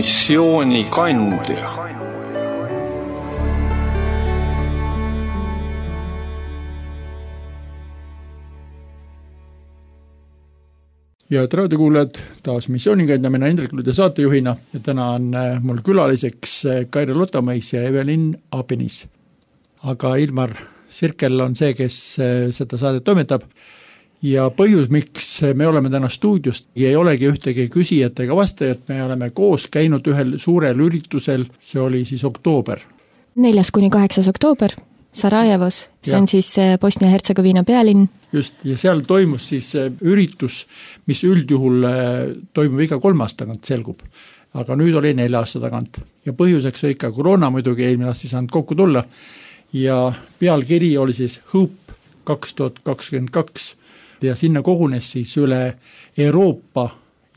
missiooni kandja. Ja raadiokuulajad, taas missioonikandja, mina Hendrik Lude saatejuhina ja täna on mul külaliseks Kaire Lotamais ja Evelin Abinis. Aga Ilmar Sirkel on see, kes seda saadet toimetab ja põhjus, miks me oleme täna stuudiost, ei olegi ühtegi küsijat ega vastajat, me oleme koos käinud ühel suurel üritusel, see oli siis oktoober. 4.–8. oktoober Sarajevos, see on siis Bosnia-Hertsegoviina pealinn. Just, ja seal toimus siis üritus, mis üldjuhul toimub iga 3 aasta tagant, selgub. Aga nüüd oli 4 aasta tagant. Ja põhjuseks oli ikka koroona muidugi, eelmine aasta ei saanud kokku tulla. Ja pealkiri oli siis Hope 2022. Ja sinna kogunes siis üle Euroopa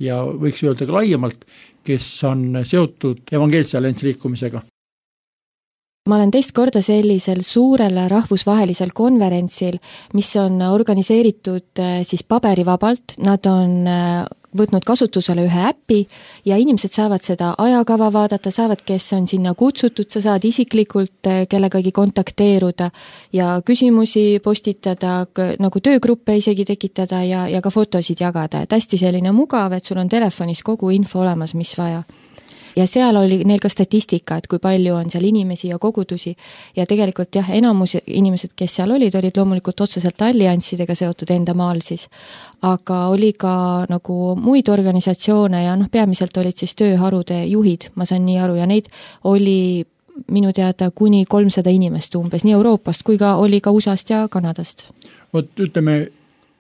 ja võiks öelda ka laiemalt, kes on seotud evangeelse alliansi liikumisega. Ma olen teist korda sellisel suurel rahvusvahelisel konverentsil, mis on organiseeritud siis paberivabalt. Nad on võtnud kasutusele ühe äppi ja inimesed saavad seda ajakava vaadata, saavad, kes on sinna kutsutud, sa saad isiklikult kellegagi kontakteeruda ja küsimusi postitada, nagu töögruppe isegi tekitada ja ka fotosid jagada. Et hästi selline mugav, et sul on telefonis kogu info olemas, mis vaja. Ja seal oli neil ka statistika, et kui palju on seal inimesi ja kogudusi ja tegelikult jah, enamus inimesed, kes seal olid loomulikult otseselt allianssidega seotud enda maal siis, aga oli ka nagu muid organisatsioone ja peamiselt olid siis tööharude juhid, ma saan nii aru, ja neid oli minu teada kuni 300 inimest umbes, nii Euroopast kui ka oli ka USA-st ja Kanadast. Ütleme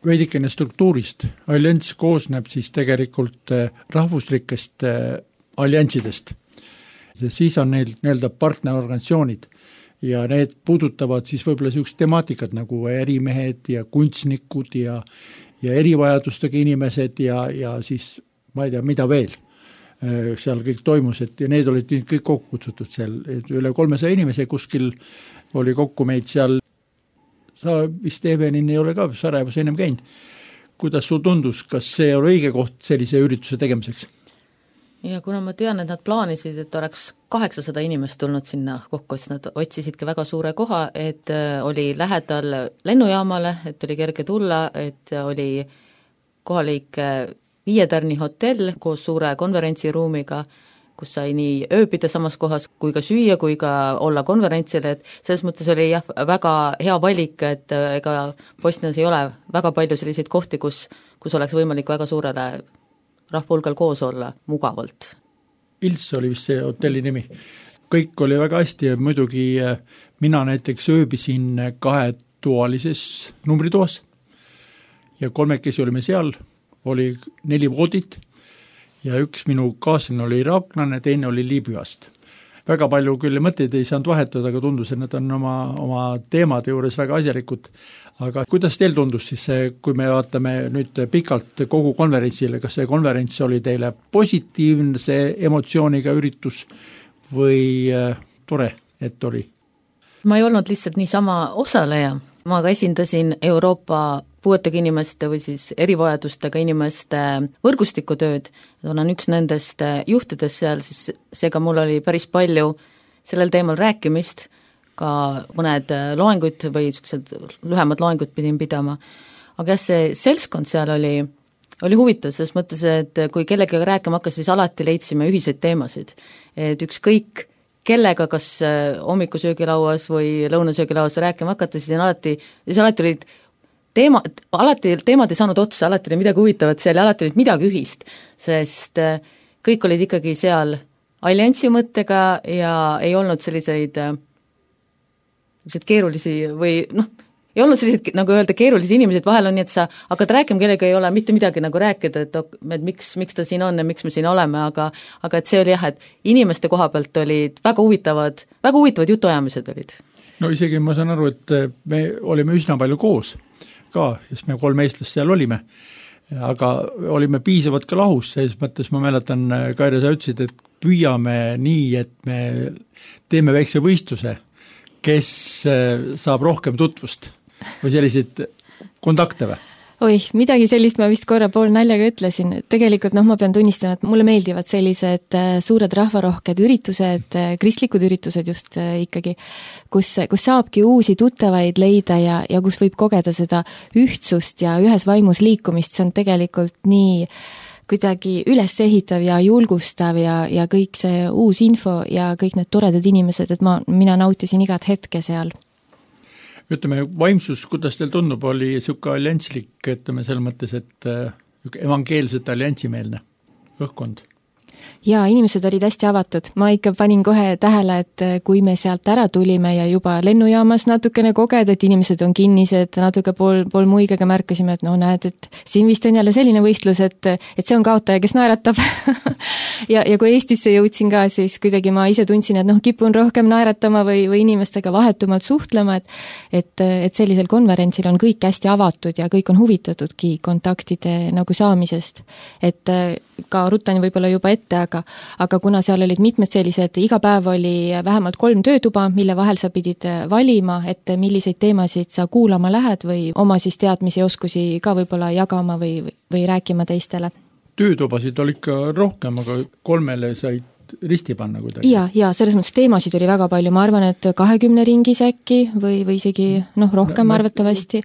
veidikene struktuurist, allianss koosneb siis tegelikult rahvuslikest allianssidest. Siis on neil nii-öelda partnerorganisatsioonid ja need puudutavad siis võib-olla sellised temaatikad nagu ärimehed ja kunstnikud ja erivajadustega inimesed ja siis ma ei tea, mida veel seal kõik toimus, et ja need olid kõik kokku kutsutud seal, üle 300 inimese kuskil oli kokku meid seal. Sa vist Evelin ei ole ka Sarajevos ennem käinud. Kuidas sul tundus, kas see oli õige koht sellise ürituse tegemiseks? Ja kuna ma tean, et nad plaanisid, et oleks 800 inimest tulnud sinna kokku, siis nad otsisidki väga suure koha, et oli lähedal lennujaamale, et oli kerge tulla, et oli kohalik 5 tärni hotell koos suure konverentsiruumiga, kus sai nii ööbida samas kohas kui ka süüa, kui ka olla konverentsil, et selles mõttes oli jah, väga hea valik, et ega Bosnias ei ole väga palju selliseid kohti, kus oleks võimalik väga suurele rahvahulgal koos olla mugavalt. Ils oli vist see hotelli nimi. Kõik oli väga hästi ja muidugi mina näiteks ööbisin 2-toalises numbritoas ja 3 olime seal, oli 4 voodit ja üks minu kaaslane oli iraaklane, teine oli Liibüast. Väga palju küll mõtteid ei saanud vahetada, aga tundus, et nad on oma teemade juures väga asjalikud. Aga kuidas teil tundus siis, kui me vaatame nüüd pikalt kogu konverentsile, kas see konverents oli teile positiivne, see emotsiooniga üritus või tore, et oli? Ma ei olnud lihtsalt niisama osaleja, ma ka esindasin Euroopa puuetega inimeste või siis erivajadustega inimeste võrgustikutööd, olen üks nendest juhtidest seal, siis seega mul oli päris palju sellel teemal rääkimist, ka mõned loengud või lühemad loengud pidin pidama. Aga jah, see seltskond seal oli huvitav, selles mõttes, et kui kellega rääkima hakkas, siis alati leidsime ühiseid teemasid. Et ükskõik kellega, kas hommikusöögilauas või lõunasöögilauas rääkima hakata, siis alati olid teemad ei saanud otsa, alati oli midagi huvitavat seal ja alati olid midagi ühist, sest kõik olid ikkagi seal alliansi mõttega ja ei olnud selliseid keerulisi või ei olnud selliseid, nagu öelda, keerulisi inimesed, vahel on nii, et sa hakkad rääkima, kellega ei ole mitte midagi nagu rääkida, et miks ta siin on ja miks me siin oleme, aga et see oli jah, et inimeste koha pealt olid väga huvitavad jutuajamised olid. No isegi ma saan aru, et me olime üsna palju koos ka, sest me 3 eestlast seal olime, aga olime piisavalt ka lahus, selles mõttes ma mäletan, Kaire, sa ütlesid, et püüame nii, et me teeme väikse võistluse, kes saab rohkem tutvust või selliseid kontakte või? Oih, midagi sellist ma vist korra pool naljaga ütlesin. Tegelikult ma pean tunnistama, et mulle meeldivad sellised suured rahvarohked üritused, kristlikud üritused just ikkagi, kus saabki uusi tuttavaid leida ja kus võib kogeda seda ühtsust ja ühes vaimus liikumist. See on tegelikult nii kuidagi üles ehitav ja julgustav ja kõik see uus info ja kõik need toredad inimesed, et mina nautisin igat hetke seal. Ütleme, vaimsus, kuidas teil tundub, oli siuke alliantslik, ütleme selles mõttes, et evangeelset alliantsimeelne õhkkond? Jaa, inimesed olid hästi avatud. Ma ikka panin kohe tähele, et kui me sealt ära tulime ja juba lennujaamas natukene koged, et inimesed on kinnised, natuke pool muigega märkasime, et näed, et siin vist on jälle selline võistlus, et see on kaotaja, kes naeratab. ja kui Eestisse jõudsin ka, siis kuidagi ma ise tundsin, et kipun rohkem naeratama või inimestega vahetumalt suhtlema, et sellisel konverentsil on kõik hästi avatud ja kõik on huvitatudki kontaktide saamisest. Et ka rutan võib-olla juba ette, aga kuna seal olid mitmed sellised, iga päev oli vähemalt 3 töötuba, mille vahel sa pidid valima, et milliseid teemasid sa kuulama lähed või oma siis teadmisi ja oskusi ka võib-olla jagama või rääkima teistele. Töötubasid oli ikka rohkem, aga 3 said risti panna kuidagi. Ja selles mõttes teemasid oli väga palju, ma arvan, et 20 ringis äkki või isegi rohkem arvatavasti.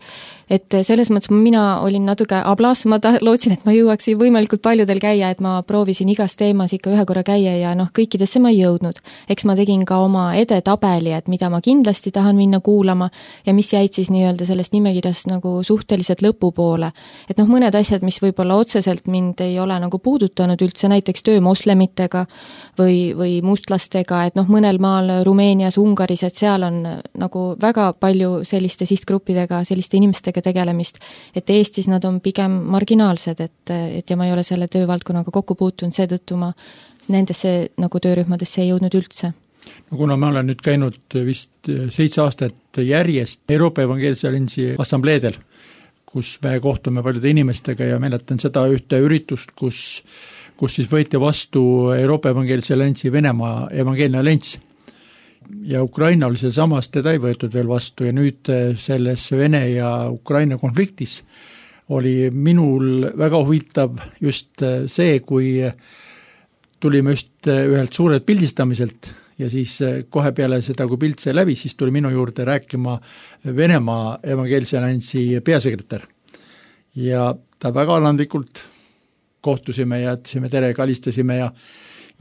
Et selles mõttes mina olin natuke ablas, ma lootsin, et ma jõuaksin võimalikult paljudel käia, et ma proovisin igas teemas ikka ühe korra käia ja kõikidesse ma ei jõudnud. Eks ma tegin ka oma edetabeli, et mida ma kindlasti tahan minna kuulama ja mis jäid siis nii-öelda sellest nimekirjast suhteliselt lõpupoole. Et mõned asjad, mis võib-olla otseselt mind ei ole puudutanud üldse, näiteks töö moslemitega või mustlastega, et mõnel maal Rumeenias, Ungaris, et seal on väga palju selliste sihtgruppidega, selliste inimestega tegelemist, et Eestis nad on pigem marginaalsed, et ja ma ei ole selle töövaldkonnaga kokku puutunud, seetõttu ma nendesse töörühmadesse ei jõudnud üldse. Kuna ma olen nüüd käinud vist 7 aastat järjest Euroopa Evangeelse Alliansi assambleedel, kus me kohtume paljude inimestega ja mäletan seda ühte üritust, kus siis võeti vastu Euroopa Evangeelse Alliansi Venemaa Evangeelne Allianss. Ja Ukraina oli see samas, teda ei võetud veel vastu ja nüüd selles Vene ja Ukraina konfliktis oli minul väga huvitav just see, kui tulime just ühelt suurelt pildistamiselt ja siis kohe peale seda, kui pilt sai läbi, siis tuli minu juurde rääkima Venemaa Evangeelse Alliansi peasekretär. Ja ta väga alandlikult kohtusime ja jätsime tere, kalistasime ja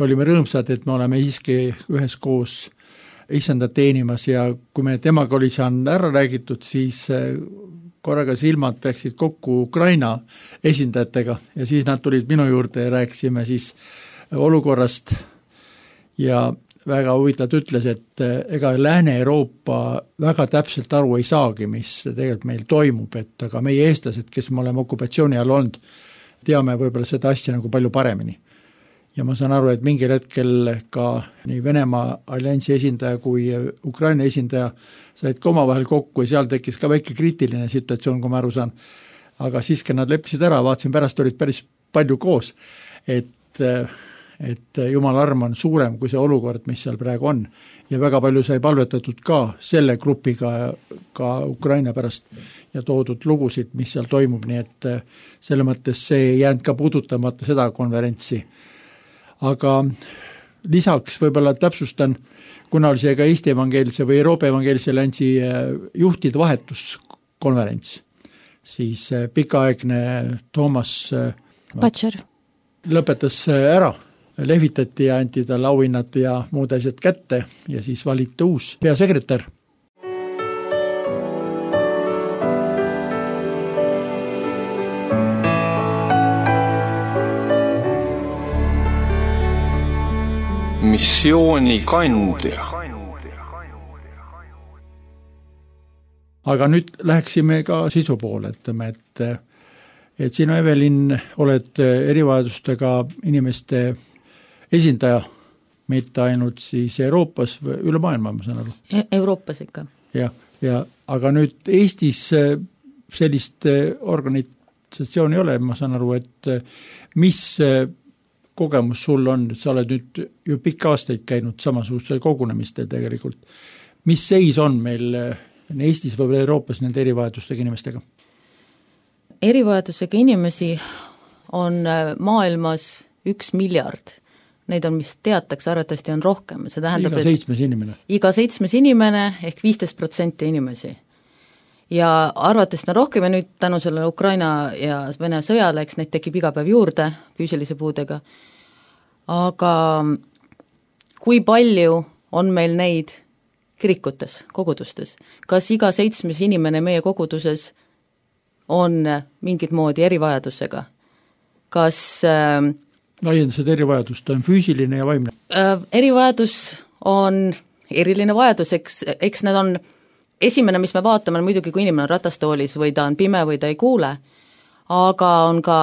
olime rõõmsad, et me oleme siiski üheskoos isandat teenimas ja kui me temaga oli saanud ära räägitud, siis korraga silmad läksid kokku Ukraina esindajatega ja siis nad tulid minu juurde ja rääkisime siis olukorrast ja väga huvitavalt ütles, et ega Lääne-Euroopa väga täpselt aru ei saagi, mis tegelikult meil toimub, et aga meie eestlased, kes me oleme okupatsiooni all olnud, teame võib-olla seda asja palju paremini. Ja ma saan aru, et mingil hetkel ka nii Venemaa alliansi esindaja kui Ukraina esindaja said ka omavahel kokku ja seal tekkis ka väike kriitiline situatsioon, kui ma aru saan. Aga siiski nad leppisid ära, vaatasin pärast olid päris palju koos, et Jumala arm on suurem kui see olukord, mis seal praegu on. Ja väga palju sai palvetatud ka selle grupiga ka Ukraina pärast ja toodud lugusid, mis seal toimub, nii et selle mõttes see ei jäänud ka puudutamata seda konverentsi. Aga lisaks võib-olla täpsustan, kuna oli see ka Eesti Evangeelse või Euroopa Evangeelse Alliansi juhtide vahetuskonverents, siis pikaaegne Toomas Patšer lõpetas ära, lehvitati ja anti talle auhinnad ja muud asjad kätte ja siis valiti uus peasekretär. Missiooni kandja. Aga nüüd läheksime ka sisu poole, ütleme, et sina, Evelin, oled erivajadustega inimeste esindaja, mitte ainult siis Euroopas või üle maailma, ma saan aru. Euroopas ikka. Ja, aga nüüd Eestis sellist organisatsiooni ei ole, ma saan aru, et mis kogemus sul on, et sa oled nüüd ju pikka aastaid käinud samasugustel kogunemistel tegelikult. Mis seis on meil Eestis või Euroopas nende erivajadustega inimestega? erivajadusega inimesi on maailmas 1 miljard. Neid on, mis teatakse, arvatavasti on rohkem. See tähendab, iga 7 inimene. Iga 7 inimene ehk 15% inimesi. Ja arvatavasti on rohkem ja nüüd tänu sellele Ukraina ja Vene sõjale, eks neid tekib iga päev juurde füüsilise puudega. Aga kui palju on meil neid kirikutes, kogudustes? Kas iga 7 inimene meie koguduses on mingit moodi erivajadusega? Kas laiendased erivajadust on füüsiline ja vaimne? Erivajadus on eriline vajadus, eks need on, esimene, mis me vaatame, muidugi kui inimene on ratastoolis või ta on pime või ta ei kuule, aga on ka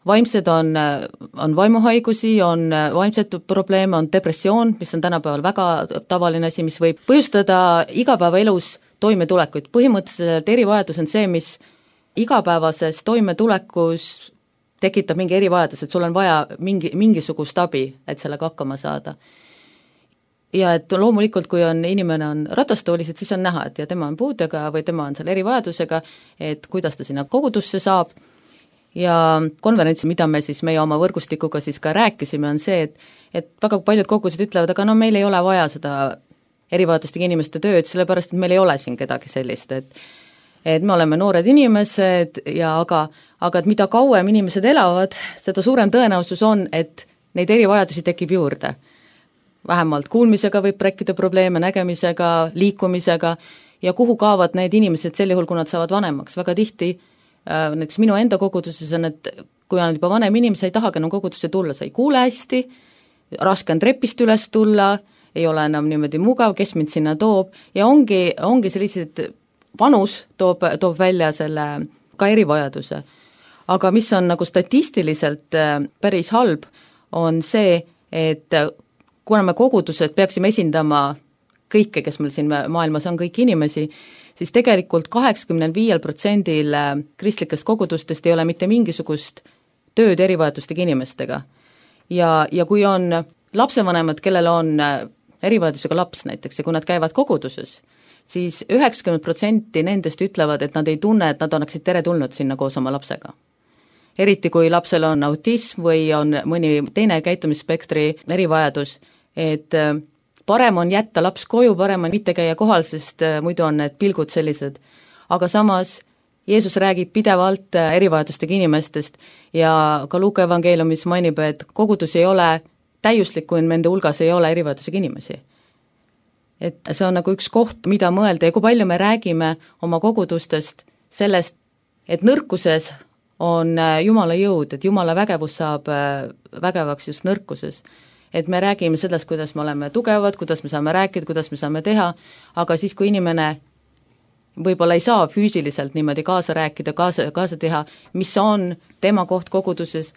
vaimsed, on vaimuhaigusi, on vaimsed probleeme, on depressioon, mis on tänapäeval väga tavaline asi, mis võib põhjustada igapäevaelus toimetulekuid. Põhimõtteliselt erivajadus on see, mis igapäevases toimetulekus tekitab mingi erivajadus, et sul on vaja mingisugust abi, et sellega hakkama saada. Ja et loomulikult, kui inimene on ratastoolis, et siis on näha, et ja tema on puudega või tema on seal erivajadusega, et kuidas ta sinna kogudusse saab. Ja konverentsi, mida me siis meie oma võrgustikuga siis ka rääkisime, on see, et väga paljud kogudused ütlevad, aga no meil ei ole vaja seda erivajadustega inimeste tööd, sellepärast, et meil ei ole siin kedagi sellist, et me oleme noored inimesed ja aga et mida kauem inimesed elavad, seda suurem tõenäosus on, et neid erivajadusi tekib juurde. Vähemalt kuulmisega võib tekkida probleeme, nägemisega, liikumisega ja kuhu kaovad need inimesed sel juhul, kui nad saavad vanemaks. Väga tihti, näiteks minu enda koguduses on, et kui on juba vanem inimene, ei tahagi enam kogudusse tulla, sa ei kuule hästi, raske on trepist üles tulla, ei ole enam niimoodi mugav, kes mind sinna toob ja ongi sellised vanus toob välja selle ka erivajaduse. Aga mis on nagu statistiliselt päris halb, on see, et kuna me kogudused peaksime esindama kõike, kes meil siin maailmas on, kõiki inimesi, siis tegelikult 85% kristlikest kogudustest ei ole mitte mingisugust tööd erivajadustega inimestega. Ja kui on lapsevanemad, kellel on erivajadusega laps näiteks ja kui nad käivad koguduses, siis 90% nendest ütlevad, et nad ei tunne, et nad annaksid teretulnud sinna koos oma lapsega. Eriti kui lapsel on autism või on mõni teine käitumisspektri erivajadus, et parem on jätta laps koju, parem on mitte käia kohal, sest muidu on need pilgud sellised. Aga samas Jeesus räägib pidevalt erivajadustega inimestest ja ka Luuka evangeeliumis mainib, et kogudus ei ole täiuslik, kui nende hulgas ei ole erivajadusega inimesi. Et see on nagu üks koht, mida mõelda ja kui palju me räägime oma kogudustest sellest, et nõrkuses on Jumala jõud, et Jumala vägevus saab vägevaks just nõrkuses. Et me räägime sellest, kuidas me oleme tugevad, kuidas me saame rääkida, kuidas me saame teha, aga siis, kui inimene võib-olla ei saa füüsiliselt niimoodi kaasa rääkida, kaasa teha, mis on tema koht koguduses,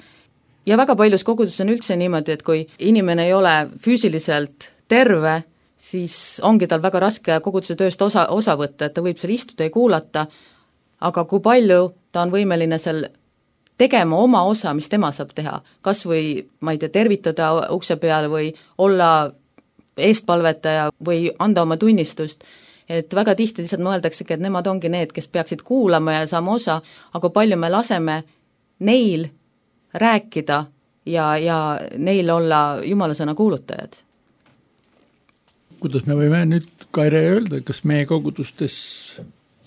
ja väga paljus koguduses on üldse niimoodi, et kui inimene ei ole füüsiliselt terve, siis ongi tal väga raske koguduse tööst osa võtta, et ta võib seal istuda ja kuulata, aga kui palju ta on võimeline seal tegema oma osa, mis tema saab teha, kas või, ma ei tea, tervitada ukse peal või olla eestpalvetaja või anda oma tunnistust, et väga tihti lihtsalt mõeldaksegi, et nemad ongi need, kes peaksid kuulama ja saama osa, aga palju me laseme neil rääkida ja neil olla Jumala sõna kuulutajad. Kuidas me võime nüüd, Kaire, öelda, kas meie kogudustes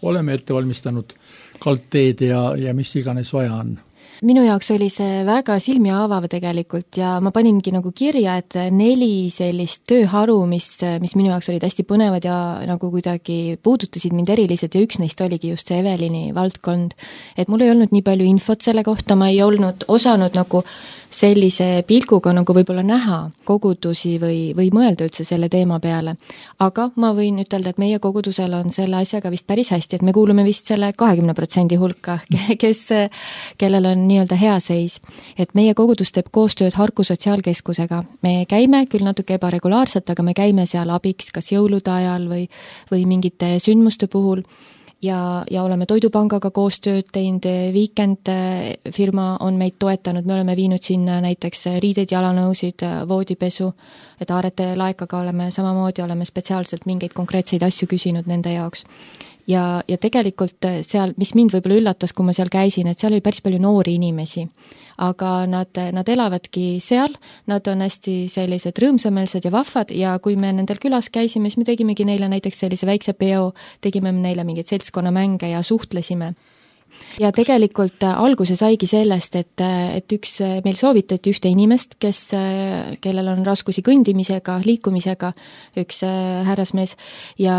oleme ette valmistanud kaldteed ja mis iganes vaja on? Minu jaoks oli see väga silmi avav tegelikult ja ma paningi nagu kirja, et 4 sellist tööharu, mis minu jaoks olid hästi põnevad ja nagu kuidagi puudutasid mind eriliselt ja üks neist oligi just see Evelini valdkond. Et mul ei olnud nii palju infot selle kohta, ma ei olnud osanud nagu sellise pilguga nagu võib-olla näha kogudusi või mõelda üldse selle teema peale. Aga ma võin ütelda, et meie kogudusel on selle asjaga vist päris hästi, et me kuulume vist selle 20% hulka, kellel on nii-öelda hea seis. Et meie kogudus teeb koostööd Harku sotsiaalkeskusega. Me käime küll natuke ebaregulaarselt, aga me käime seal abiks kas jõulude ajal või mingite sündmuste puhul. Ja oleme Toidupangaga koostööd teinud, Weekend firma on meid toetanud, me oleme viinud sinna näiteks riideid, jalanõusid, voodipesu, et Aarete laekaga oleme spetsiaalselt mingeid konkreetseid asju küsinud nende jaoks. ja tegelikult seal, mis mind võib-olla üllatas, kui ma seal käisin, et seal oli päris palju noori inimesi. Aga nad elavadki seal, nad on hästi sellised rõõmsameelsed ja vahvad ja kui me nendel külas käisime, siis me tegimegi neile näiteks sellise väikse peo, tegime neile mingeid seltskonnamänge ja suhtlesime. Ja tegelikult alguse saigi sellest, et meil soovitati ühte inimest, kellel on raskusi kõndimisega, liikumisega, üks härrasmees ja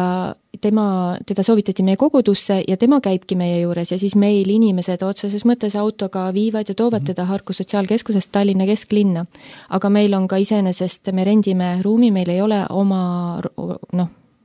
teda soovitati meie kogudusse ja tema käibki meie juures ja siis meil inimesed otseses mõttes autoga viivad ja toovad teda Harku sotsiaalkeskusest Tallinna kesklinna. Aga meil on ka iseenesest, me rendime ruumi, meil ei ole oma,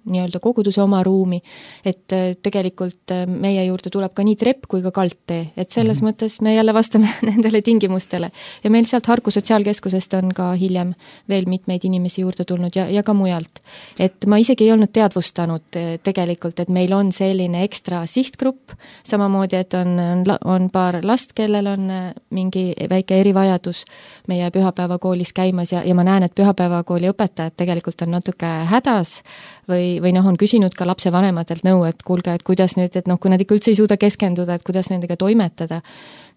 nii-öelda koguduse oma ruumi, et tegelikult meie juurde tuleb ka nii trepp kui ka kaldtee, et selles mõttes me jälle vastame nendele tingimustele. Ja meil sealt Harku sotsiaalkeskusest on ka hiljem veel mitmeid inimesi juurde tulnud ja ka mujalt. Et ma isegi ei olnud teadvustanud tegelikult, et meil on selline ekstra sihtgrupp, samamoodi, et on paar last, kellel on mingi väike erivajadus meie pühapäevakoolis käimas ja ma näen, et pühapäevakooli õpetajad tegelikult on natuke hädas või on küsinud ka lapse vanematelt nõu, et kuulge, et kuidas nüüd, et kui nad ikka üldse ei suuda keskenduda, et kuidas nendega toimetada.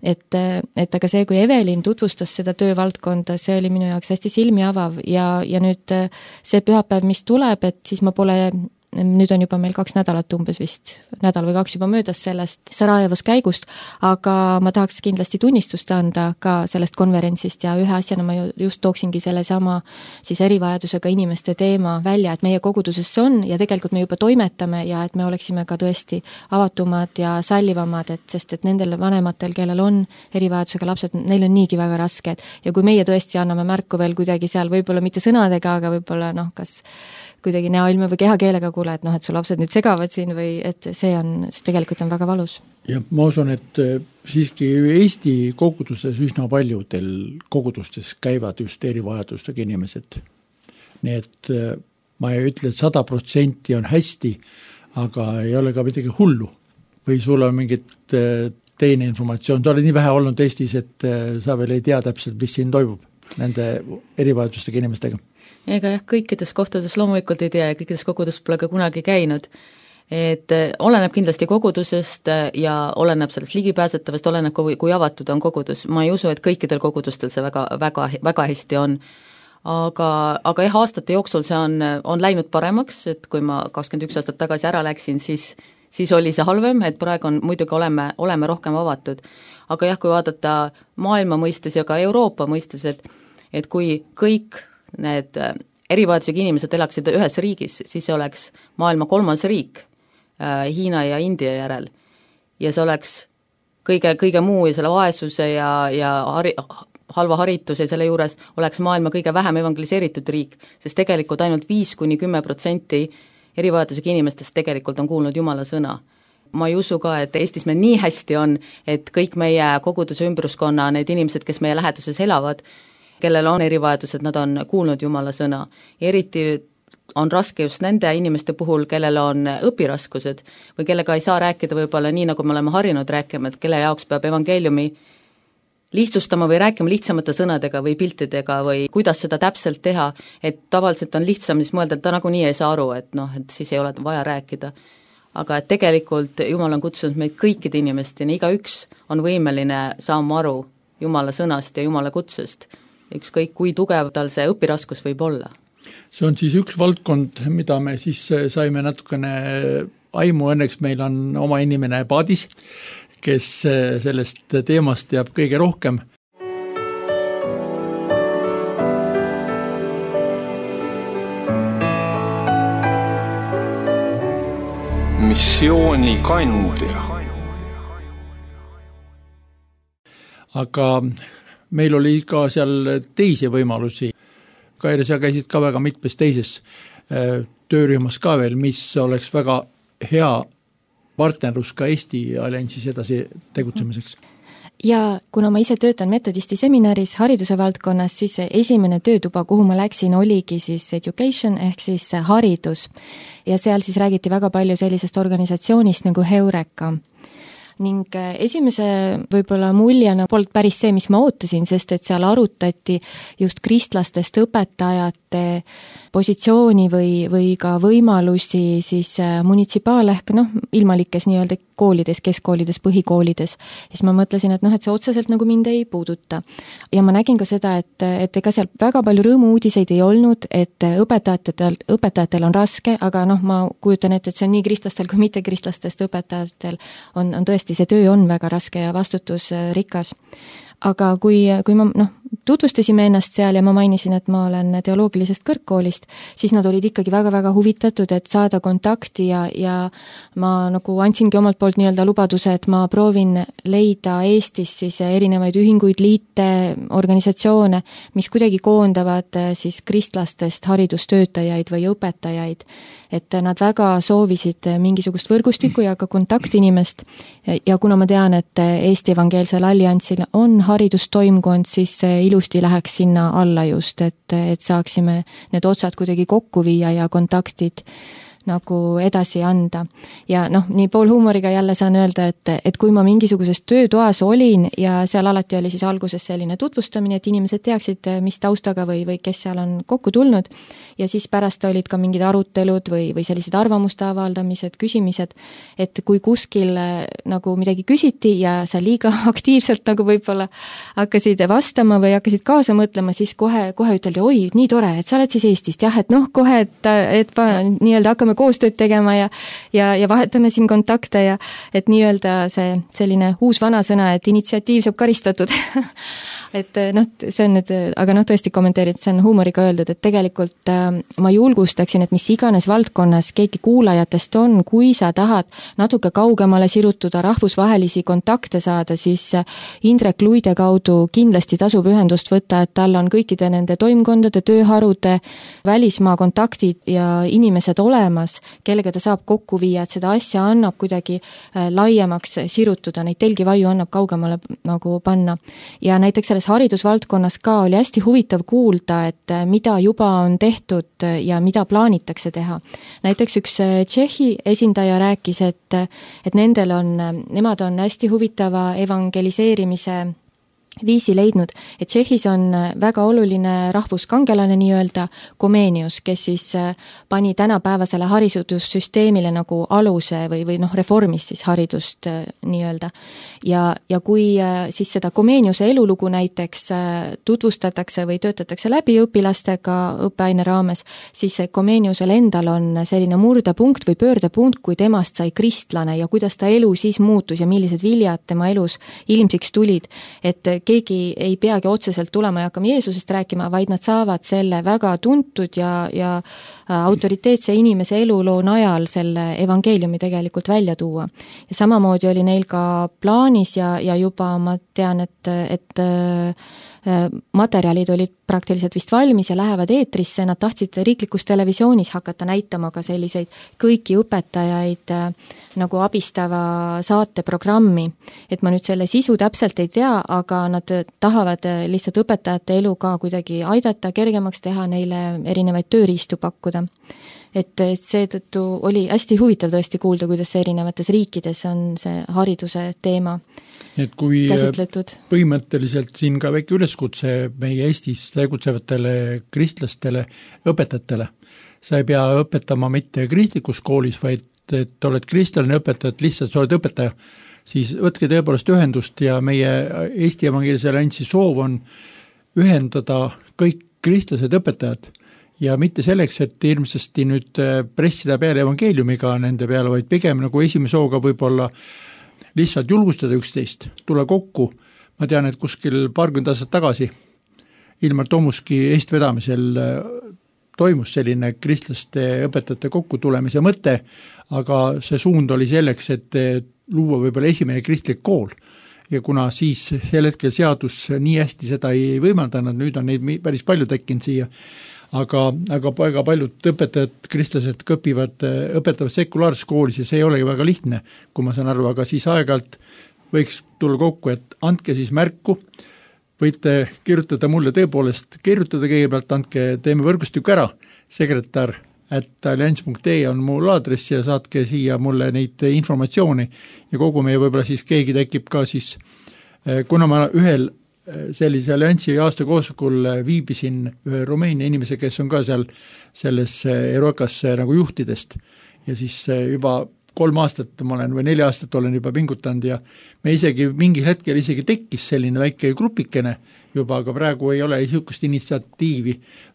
Et aga see, kui Evelin tutvustas seda töövaldkonda, see oli minu jaoks hästi silmi avav ja nüüd see pühapäev, mis tuleb, et siis ma pole, nüüd on juba meil 2 nädalat umbes vist, nädal või 2 juba möödas sellest Sarajevos käigust, aga ma tahaks kindlasti tunnistust anda ka sellest konverentsist ja ühe asjana ma just tooksingi selle sama siis erivajadusega inimeste teema välja, et meie koguduses on ja tegelikult me juba toimetame ja et me oleksime ka tõesti avatumad ja sallivamad, sest et nendel vanematel, kellel on erivajadusega lapsed, neil on niigi väga rasked ja kui meie tõesti anname märku veel kuidagi seal, võib-olla mitte sõnadega, aga võib-olla kas kuidagi näoilme või kehakeelega kuule, et et su lapsed nüüd segavad siin või et see tegelikult on väga valus. Ja ma usun, et siiski Eesti koguduses üsna paljudel kogudustes käivad just erivajadustega inimesed. Nii et ma ei ütle, et 100% on hästi, aga ei ole ka midagi hullu. Või sul on mingit teine informatsioon. Ta oli nii vähe olnud Eestis, et sa veel ei tea täpselt, mis siin toimub nende erivajadustega inimestega. Ega kõikides kohtades loomulikult ei tea ja kõikides kogudus pole ka kunagi käinud. Et oleneb kindlasti kogudusest ja oleneb sellest ligipääsetavast, oleneb kui avatud on kogudus. Ma ei usu, et kõikidel kogudustel see väga hästi on. Aga aastate jooksul see on läinud paremaks, et kui ma 21 aastat tagasi ära läksin, siis oli see halvem, et praegu muidugi oleme rohkem avatud. Aga kui vaadata maailma mõistes ja ka Euroopa mõistes, et kui kõik need erivajadusega inimesed elaksid ühes riigis, siis see oleks maailma 3. riik Hiina ja India järel. Ja see oleks kõige muu ja selle vaesuse ja halva harituse selle juures oleks maailma kõige vähem evangeliseeritud riik, sest tegelikult ainult 5–10% erivajadusega inimestest tegelikult on kuulnud Jumala sõna. Ma ei usu ka, et Eestis meil nii hästi on, et kõik meie koguduse ümbruskonna, need inimesed, kes meie läheduses elavad, kellel on erivajadused, nad on kuulnud Jumala sõna. Eriti on raske just nende inimeste puhul, kellel on õpiraskused või kellega ei saa rääkida võib-olla nii, nagu me oleme harjunud rääkima, et kelle jaoks peab evangeeliumi lihtsustama või rääkima lihtsamate sõnadega või piltidega või kuidas seda täpselt teha, et tavaliselt on lihtsam siis mõelda, et ta nagunii ei saa aru, et siis ei ole vaja rääkida. Aga et tegelikult Jumal on kutsunud meid kõikide inimesteni, igaüks on võimeline saama aru Jumala sõnast ja Jumala kutsest. Ükskõik, kui tugev tal see õpiraskus võib olla. See on siis üks valdkond, mida me siis saime natukene aimu, õnneks meil on oma inimene Paadis, kes sellest teemast teab kõige rohkem. Missiooni kandja. Aga meil oli ka seal teisi võimalusi. Kaire, sa käisid ka väga mitmes teises töörühmas ka veel, mis oleks väga hea partnerlus ka Eesti alliansis edasi tegutsemiseks. Ja kuna ma ise töötan metodisti seminaris hariduse valdkonnas, siis esimene töötuba, kuhu ma läksin, oligi siis education ehk siis haridus. Ja seal siis räägiti väga palju sellisest organisatsioonist nagu Heureka. ning esimese võib-olla muljena polnud päris see, mis ma ootasin, sest et seal arutati just kristlastest õpetajate positsiooni või ka võimalusi siis munitsipaal- ehk ilmalikes nii-öelda koolides, keskkoolides, põhikoolides. Siis ma mõtlesin, et et see otseselt nagu mind ei puuduta. Ja ma nägin ka seda, et ega seal väga palju rõõmu-uudiseid ei olnud, et õpetajatel on raske, aga ma kujutan ette, et see on nii kristlastel kui mitte kristlastest õpetajatel on tõesti, see töö on väga raske ja vastutusrikas. Aga kui ma tutvustasime ennast seal ja ma mainisin, et ma olen teoloogilisest kõrgkoolist, siis nad olid ikkagi väga-väga huvitatud, et saada kontakti ja ma nagu andsingi omalt poolt nii-öelda lubaduse, et ma proovin leida Eestis siis erinevaid ühinguid, liite, organisatsioone, mis kuidagi koondavad siis kristlastest haridustöötajaid või õpetajaid. Et nad väga soovisid mingisugust võrgustikku ja ka kontaktinimest ja kuna ma tean, et Eesti Evangeelsel Alliansil on haridustoimkond, siis ilusti läheks sinna alla just, et saaksime need otsad kuidagi kokku viia ja kontaktid nagu edasi anda. Ja nii poolhuumoriga jälle saan öelda, et kui ma mingisuguses töötoas olin ja seal alati oli siis alguses selline tutvustamine, et inimesed teaksid, mis taustaga või kes seal on kokku tulnud ja siis pärast olid ka mingid arutelud või sellised arvamuste avaldamised, küsimised, et kui kuskil nagu midagi küsiti ja sa liiga aktiivselt nagu võib-olla hakkasid vastama või hakkasid kaasa mõtlema, siis kohe üteldi, oi, nii tore, et sa oled siis Eestist, jah, et kohe, et nii-öelda hakkame koostööd tegema ja vahetame siin kontakte ja et nii-öelda see selline uus vanasõna, et initsiatiiv saab karistatud. Et see on nüüd, aga tõesti kommenteerid, see on huumoriga öeldud, et tegelikult ma julgustaksin, et mis iganes valdkonnas keegi kuulajatest on, kui sa tahad natuke kaugemale sirutuda, rahvusvahelisi kontakte saada, siis Indrek Luide kaudu kindlasti tasub ühendust võtta, et tal on kõikide nende toimkondade, tööharude, välismaa kontaktid ja inimesed olemas, kellega ta saab kokku viia, et seda asja annab kuidagi laiemaks sirutuda, neid telgivaju annab kaugemale nagu panna. Ja näiteks selles haridusvaldkonnas ka oli hästi huvitav kuulda, et mida juba on tehtud ja mida plaanitakse teha. Näiteks üks Tšehhi esindaja rääkis, et nemad on hästi huvitava evangeliseerimise viisi leidnud, et Tšehhis on väga oluline rahvuskangelane nii-öelda Komenius, kes siis pani tänapäevasele haridussüsteemile nagu aluse või reformis siis haridust nii-öelda. Ja kui siis seda Komeniuse elulugu näiteks tutvustatakse või töötatakse läbi õpilastega õppeaine raames, siis Komeniusel endal on selline murdepunkt või pöördepunkt, kui temast sai kristlane ja kuidas ta elu siis muutus ja millised viljad tema elus ilmsiks tulid, et keegi ei peagi otseselt tulema ja hakkama Jeesusest rääkima, vaid nad saavad selle väga tuntud ja autoriteetse inimese eluloo najal selle evangeeliumi tegelikult välja tuua. Ja samamoodi oli neil ka plaanis ja juba ma tean, et materjalid olid praktiliselt vist valmis ja lähevad eetrisse, nad tahtsid riiklikus televisioonis hakata näitama ka selliseid kõiki õpetajaid nagu abistava saateprogrammi. Et ma nüüd selle sisu täpselt ei tea, aga nad tahavad lihtsalt õpetajate elu ka kuidagi aidata, kergemaks teha, neile erinevaid tööriistu pakkuda. Et seetõttu oli hästi huvitav tõesti kuulda, kuidas erinevates riikides on see hariduse teema et kui käsitletud. Põhimõtteliselt siin ka väike üleskutse meie Eestis tegutsevatele kristlastele õpetajatele. Sa ei pea õpetama mitte kristlikus koolis, vaid et oled kristlane õpetajad, lihtsalt sa oled õpetaja, siis võtke tõepoolest ühendust ja meie Eesti Evangeelse Alliansi soov on ühendada kõik kristlased õpetajad ja mitte selleks, et ilmsesti nüüd pressida peale evangeeliumiga nende peale, vaid pigem nagu esimese hooga võib-olla lihtsalt julgustada üksteist, tule kokku. Ma tean, et kuskil paarkümmend aastat tagasi Ilmar Tomuski eestvedamisel toimus selline kristlaste õpetajate kokkutulemise mõte, aga see suund oli selleks, et luua võib-olla esimene kristlik kool. Ja kuna siis sel hetkel seadus nii hästi seda ei võimaldanud, nüüd on neid päris palju tekkinud siia, aga väga paljud õpetajad, kristlased õpetavad sekulaarses koolis ja see ei olegi väga lihtne, kui ma saan aru, aga siis aeg-ajalt võiks tulla kokku, et andke siis märku, võite kirjutada mulle tõepoolest, kirjutada kõigepealt, teeme võrgustiku ära, sekretär @allianz.ee on mul aadress ja saatke siia mulle neid informatsiooni ja kogu meie võib-olla siis keegi tekib ka siis, kuna ma ühel sellise alliansi aastakoosolekul viibisin ühe Rumeenia inimese, kes on ka seal selles Erokas nagu juhtidest ja siis juba 3 aastat ma olen või 4 aastat olen juba pingutanud ja me isegi mingil hetkel isegi tekkis selline väike grupikene juba, aga praegu ei ole niisugust initsiatiivi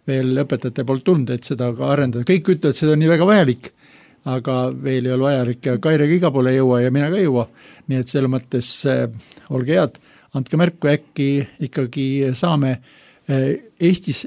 veel õpetajate poolt tulnud, et seda ka arendada. Kõik ütlevad, et seda on nii väga vajalik, aga veel ei ole vajalik ja Kairega iga poole ei jõua ja mina ka ei jõua. Nii et selle mõttes olge head, andke märku, äkki ikkagi saame Eestis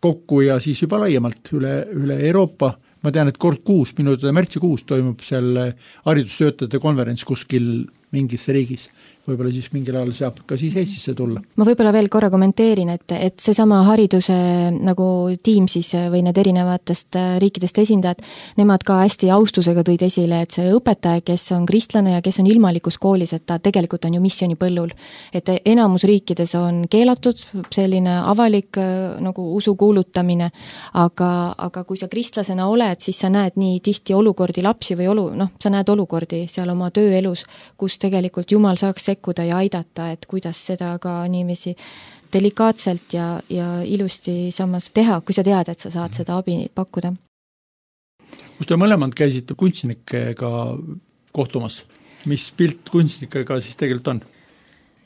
kokku ja siis juba laiemalt üle Euroopa. Ma tean, et kord kuus, märtsikuus toimub seal haridustöötajate konverents kuskil mingisse riigis. Võib-olla siis mingil ajal saab ka siis Eestisse tulla. Ma võib-olla veel korra kommenteerin, et seesama hariduse nagu tiim siis või need erinevatest riikidest esindajad, nemad ka hästi austusega tõid esile, et see õpetaja, kes on kristlane ja kes on ilmalikus koolis, et ta tegelikult on ju missioonipõllul. Et enamus riikides on keelatud selline avalik nagu usu kuulutamine, aga kui sa kristlasena oled, siis sa näed nii tihti olukordi lapsi või sa näed olukordi seal oma tööelus, kus tegelikult Jumal saaks sekkuda ja aidata, et kuidas seda ka niiviisi delikaatselt ja ilusti samas teha, kui sa tead, et sa saad seda abi pakkuda. Kus te mõlemad käisite kunstnikega kohtumas? Mis pilt kunstnikega siis tegelikult on?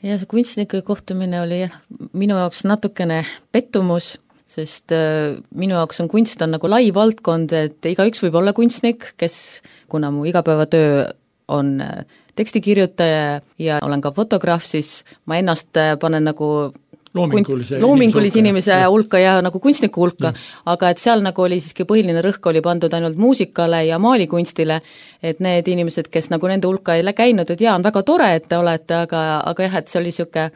Ja see kunstnike kohtumine oli minu jaoks natukene pettumus, sest minu jaoks on kunst on nagu lai valdkond, et igaüks võib olla kunstnik, kes, kuna mu igapäevatöö on tekstikirjutaja ja olen ka fotograaf, siis ma ennast panen nagu loomingulise inimese hulka ja nagu kunstniku hulka, aga et seal nagu oli siiski põhiline rõhk oli pandud ainult muusikale ja maalikunstile, et need inimesed, kes nagu nende hulka ei käinud, et on väga tore, et te olete, aga jah, et see oli siuke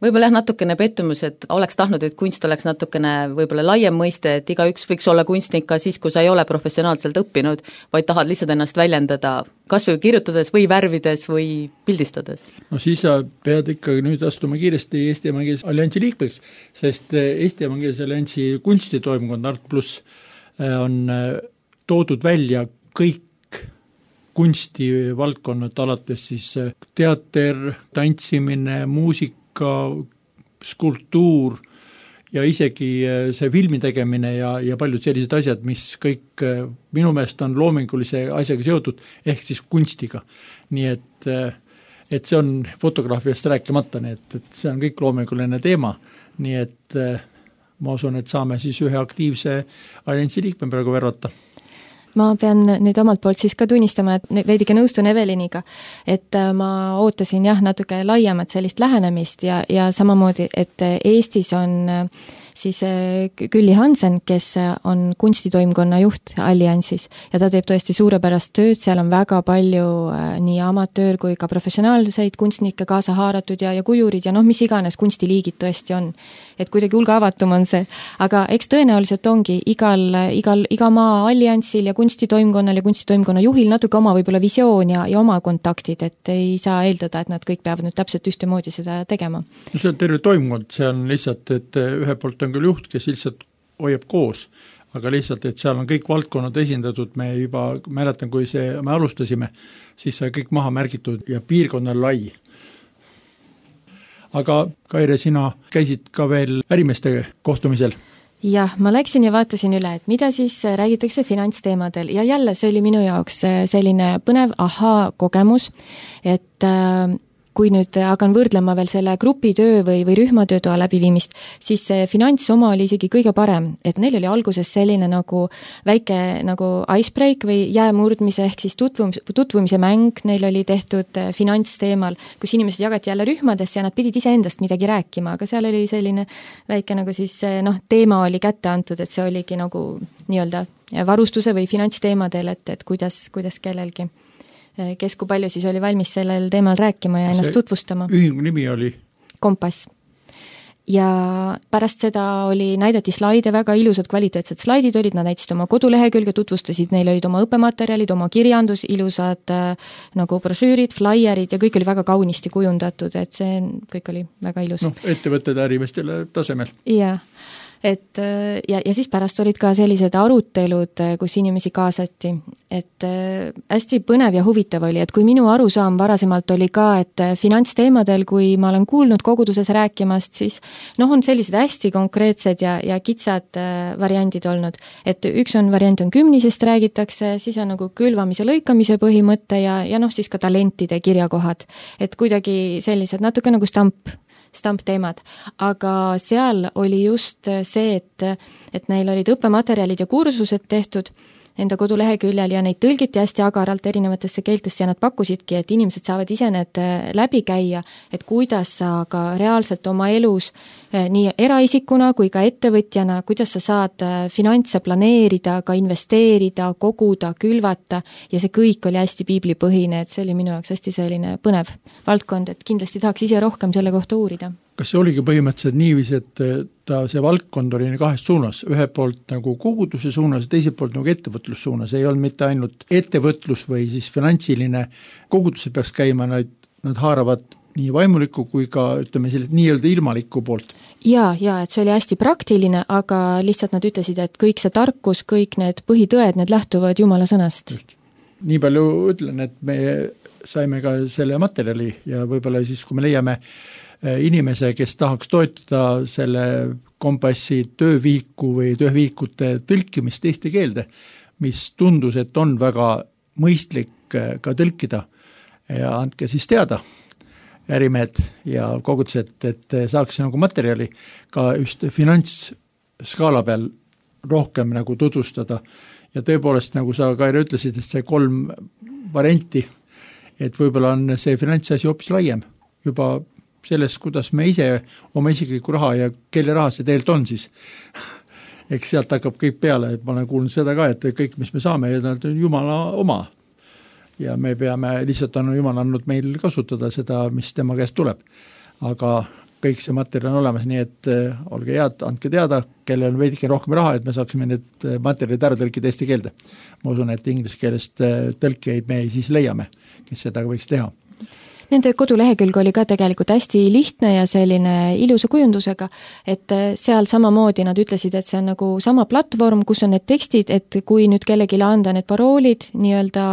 võib-olla natukene pettumus, et oleks tahtnud, et kunst oleks natukene võib-olla laiem mõiste, et igaüks võiks olla kunstnik ka siis, kui sa ei ole professionaalselt õppinud, vaid tahad lihtsalt ennast väljendada, kas või kirjutades või värvides või pildistades. No siis sa pead ikkagi nüüd astuma kiiresti Eesti Evangeelse Alliansi liikmeks, sest Eesti Evangeelse Alliansi kunstitoimkond Art Plus on toodud välja kõik kunstivaldkonnad, alates siis teater, tantsimine, muusika, skulptuur ja isegi see filmi tegemine ja paljud sellised asjad, mis kõik minu meelest on loomingulise asjaga seotud, ehk siis kunstiga. Nii et see on fotograafiast rääkimata, nii et see on kõik loominguline teema, nii et ma usun, et saame siis ühe aktiivse alliansi liikme praegu värvata. Ma pean nüüd omalt poolt siis ka tunnistama, et veidike nõustun Eveliniga, et ma ootasin natuke laiemat sellist lähenemist ja samamoodi, et Eestis on siis Külli Hansen, kes on kunstitoimkonna juht Alliansis ja ta teeb tõesti suurepärast tööd, seal on väga palju nii amatöör kui ka professionaalseid kunstnikke kaasa haaratud ja kujurid ja mis iganes kunstiliigid tõesti on. Et kuidagi hulga avatum on see, aga eks tõenäoliselt ongi iga maa alliansil ja kunstitoimkonnal ja kunstitoimkonna juhil natuke oma võib-olla visioon ja oma kontaktid, et ei saa eeldada, et nad kõik peavad nüüd täpselt ühtemoodi seda tegema. No see on terve toimkond, see on lihtsalt, et ühe poolt on küll juht, kes lihtsalt hoiab koos, aga lihtsalt, et seal on kõik valdkonnad esindatud, me juba mäletan, kui me alustasime, siis sai kõik maha märgitud ja piirkonna lai. Aga Kaire, sina käisid ka veel ärimeeste kohtumisel? Jah, ma läksin ja vaatasin üle, et mida siis räägitakse finantsteemadel ja jälle see oli minu jaoks selline põnev kogemus, et kui nüüd hakan võrdlema veel selle grupitöö või rühmatöötoa läbiviimist, siis see finants oma oli isegi kõige parem, et neil oli alguses selline nagu väike nagu icebreak või jäämurdmise ehk siis tutvumise mäng, neil oli tehtud finantsteemal, kus inimesed jagati jälle rühmadesse ja nad pidid iseendast midagi rääkima, aga seal oli selline väike nagu siis teema oli kätte antud, et see oligi nagu nii-öelda varustuse või finantsteemadel, et kuidas kellelgi kes kui palju siis oli valmis sellel teemal rääkima ja ennast tutvustama. Ühingu nimi oli? Kompass. Ja pärast seda näidati slaide, väga ilusad kvaliteetsed slaidid olid, nad näitasid oma kodulehekülge, tutvustasid, neil olid oma õppematerjalid, oma kirjandus, ilusad nagu brošüürid, flaierid ja kõik oli väga kaunisti kujundatud, et see kõik oli väga ilus. Ettevõtted ärimestele tasemel. Jah. et ja siis pärast olid ka sellised arutelud, kus inimesi kaasati, et hästi põnev ja huvitav oli, et kui minu arusaam varasemalt oli ka, et finantsteemadel, kui ma olen kuulnud koguduses rääkimast, siis on sellised hästi konkreetsed ja kitsad variandid olnud, et üks variant on kümnisest räägitakse, siis on nagu külvamise lõikamise põhimõte ja siis ka talentide kirjakohad, et kuidagi sellised natuke nagu stampteemad, aga seal oli just see, et neil olid õppematerjalid ja kursused tehtud enda koduleheküljel ja neid tõlgiti hästi agaralt erinevatesse keeltesse ja nad pakkusidki, et inimesed saavad ise need läbi käia, et kuidas sa ka reaalselt oma elus nii eraisikuna kui ka ettevõtjana, kuidas sa saad finantse planeerida, ka investeerida, koguda, külvata ja see kõik oli hästi piiblipõhine, et see oli minu jaoks hästi selline põnev valdkond, et kindlasti tahaks ise rohkem selle kohta uurida. Kas see oligi põhimõtteliselt niiviisi, et see valdkond oli kahes suunas, ühe poolt nagu koguduse suunas ja teiselt poolt nagu ettevõtlus ei olnud mitte ainult ettevõtlus või siis finantsiline koguduse peaks käima, nad haaravad nii vaimuliku kui ka ütleme sellist nii-öelda ilmaliku poolt. Ja, et see oli hästi praktiline, aga lihtsalt nad ütlesid, et kõik see tarkus, kõik need põhitõed, need lähtuvad Jumala sõnast. Just. Nii palju ütlen, et me saime ka selle materjali ja võib-olla siis, kui me leiame inimese, kes tahaks toetada selle kompassi töövihiku või tööviikute tõlkimist teiste keelde, mis tundus, et on väga mõistlik ka tõlkida ja andke siis teada ärimehed ja kogudused, et saaks nagu materjali ka just finantsskaala peal rohkem nagu tutvustada ja tõepoolest, nagu sa, Kaire, ütlesid, et see 3 varianti, et võib-olla on see finantsasi hoopis laiem juba selles, kuidas me ise oma isikliku raha ja kelle raha see tegelikult on siis. Eks sealt hakkab kõik peale, et ma olen kuulnud seda ka, et kõik, mis me saame, on Jumala oma. Ja me peame, lihtsalt on Jumal andnud meil kasutada seda, mis tema käest tuleb. Aga kõik see materjal on olemas, nii et olge head, andke teada, kellel on veidike rohkem raha, et me saaksime need materjalid ära tõlkida eesti keelde. Ma usun, et inglise keelest tõlkeid me siis leiame, kes seda võiks teha. Nende kodulehekülg oli ka tegelikult hästi lihtne ja selline ilusa kujundusega, et seal samamoodi nad ütlesid, et see on nagu sama platvorm, kus on need tekstid, et kui nüüd kellegile anda need paroolid nii-öelda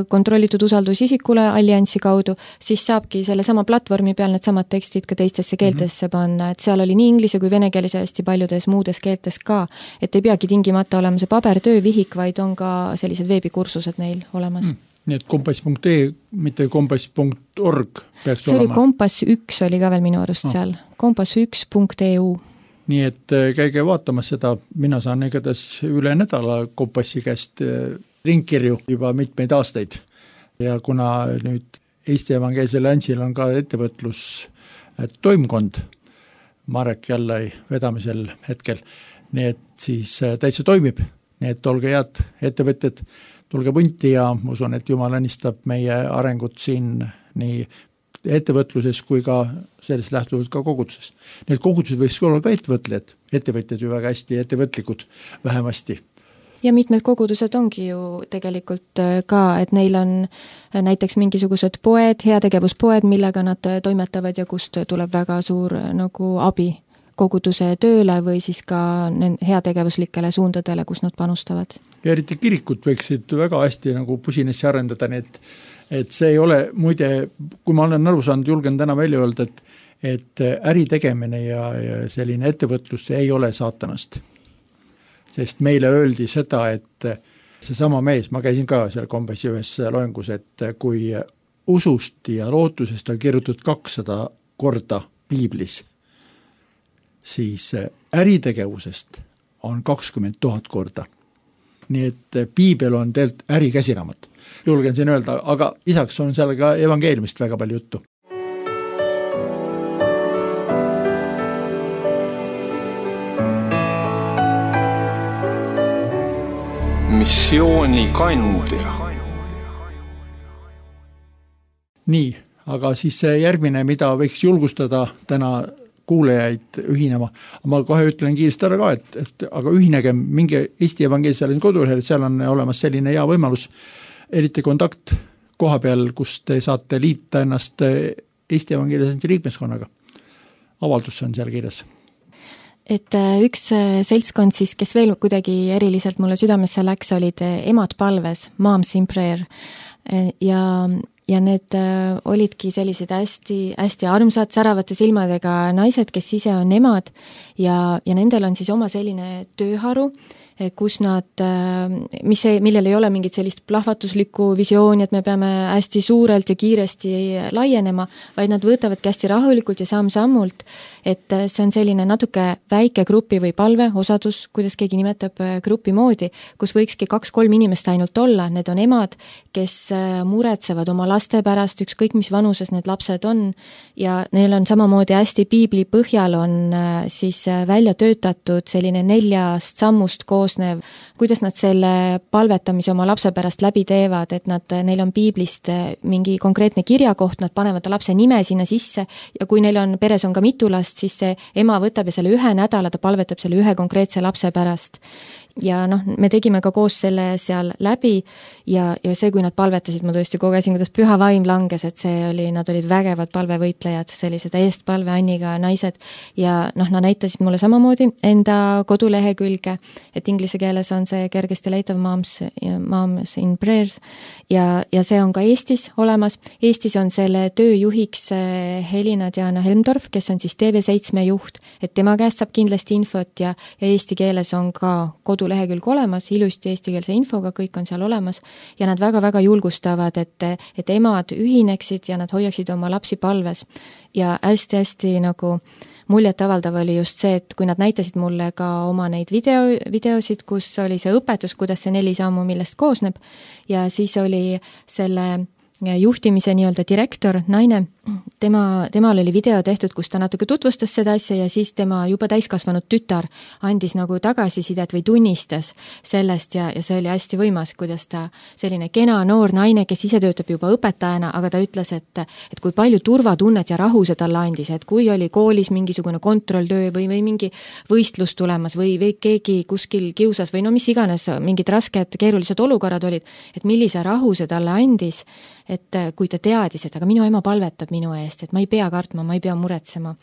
kontrollitud usaldusisikule alliansi kaudu, siis saabki selle sama platvormi peal need samad tekstid ka teistesse keeltesse panna, et seal oli nii inglise kui vene keeles ja hästi paljudes muudes keeltes ka, et ei peagi tingimata olema see pabertöövihik, vaid on ka sellised veebikursused neil olemas. Nii et kompass.ee, mitte kompass.org peaks see olema. See oli kompass 1 oli ka veel minu arust seal, kompass1.eu. Nii et käige vaatamas seda, mina saan igatahes üle nädala kompassi käest ringkirju juba mitmeid aastaid. Ja kuna nüüd Eesti Evangeelsel Alliansil on ka ettevõtlus toimkond Marek Jallai vedamisel hetkel, nii et siis täitsa toimib, nii et olge head ettevõtjad, tulge punti ja ma usun, et Jumal õnnistab meie arengut siin nii ettevõtluses kui ka sellest lähtuvalt ka koguduses. Need kogudused võiks olla ka ettevõtjad ju väga hästi ettevõtlikud vähemasti. Ja mitmed kogudused ongi ju tegelikult ka, et neil on näiteks mingisugused poed, heategevuspoed, millega nad toimetavad ja kust tuleb väga suur nagu abi koguduse tööle või siis ka heategevuslikele suundadele, kus nad panustavad. Ja eriti kirikud võiksid väga hästi nagu pusinesse arendada, et see ei ole, muide, kui ma olen aru saanud, julgen täna välja öelda, et äri tegemine ja selline ettevõtlus ei ole saatanast. Sest meile öeldi seda, et seesama mees, ma käisin ka seal kompassi ühes loengus, et kui usust ja lootusest on kirjutatud 200 korda piiblis, siis äritegevusest on 20 000 korda. Nii et piibel on tegelikult ärikäsiraamat. Julgen siin öelda, aga lisaks on seal ka evangeeliumist väga palju juttu. Missioonikandja. Nii, aga siis järgmine, mida võiks julgustada täna kuulejaid ühinema. Ma kohe ütlen kiiresti ära ka, et aga ühinegem mingi Eesti Evangeelsel kodulehel, seal on olemas selline hea võimalus, eriti kontakt koha peal, kus te saate liita ennast Eesti Evangeelsel liikmeskonnaga. Avaldus on seal kirjas. et üks seltskond siis, kes veel kuidagi eriliselt mulle südamesse läks, olid emad palves, Moms in Prayer. Ja need olidki sellised hästi armsad, säravate silmadega naised, kes ise on emad ja nendel on siis oma selline tööharu, kus nad, millel ei ole mingit sellist plahvatuslikku visiooni, et me peame hästi suurelt ja kiiresti laienema, vaid nad võtavadki hästi rahulikult ja samm-sammult, et see on selline natuke väike grupi või palve, osadus, kuidas keegi nimetab grupi moodi, kus võikski 2-3 inimest ainult olla, need on emad, kes muretsevad oma laste pärast, ükskõik mis vanuses need lapsed on ja neil on samamoodi hästi piibli põhjal on siis välja töötatud selline 4 sammust koosnev, kuidas nad selle palvetamise oma lapse pärast läbi teevad, et neil on piiblist mingi konkreetne kirjakoht, nad panevad lapse nime sinna sisse ja kui neil on peres on ka mitu last, siis see ema võtab ja selle 1 nädala ta palvetab selle 1 konkreetse lapse pärast. Ja me tegime ka koos selle seal läbi ja see, kui nad palvetasid, ma tõesti kogesin, kuidas püha vaim langes, et nad olid vägevad palvevõitlejad, sellised eestpalve Anniga naised ja nad näitasid mulle samamoodi enda kodulehekülge, et inglise keeles on see kergesti leitav Moms in Prayers ja see on ka Eestis olemas. Eestis on selle tööjuhiks Helina-Diana Helmdorf, kes on siis TV7 juht, et tema käest saab kindlasti infot ja eesti keeles on ka kodulehekülg olemas, ilusti eestikeelse infoga, kõik on seal olemas ja nad väga-väga julgustavad, et emad ühineksid ja nad hoiaksid oma lapsi palves. Ja hästi-hästi nagu muljetavaldav oli just see, et kui nad näitasid mulle ka oma neid videosid, kus oli see õpetus, kuidas see 4 sammu, millest koosneb ja siis oli selle juhtimise nii-öelda direktor, naine, temal oli video tehtud, kus ta natuke tutvustas seda asja ja siis tema juba täiskasvanud tütar andis nagu tagasisidet või tunnistas sellest ja see oli hästi võimas, kuidas ta selline kena noor naine, kes ise töötab juba õpetajana, aga ta ütles, et kui palju turvatunnet ja rahu see talle andis, et kui oli koolis mingisugune kontrolltöö või mingi võistlus tulemas või keegi kuskil kiusas või no mis iganes, mingid rasked keerulised olukorrad olid, et millise rahu see talle andis, et kui ta teadis, et aga minu ema palvetab minu eest, et ma ei pea kartma, ma ei pea muretsema.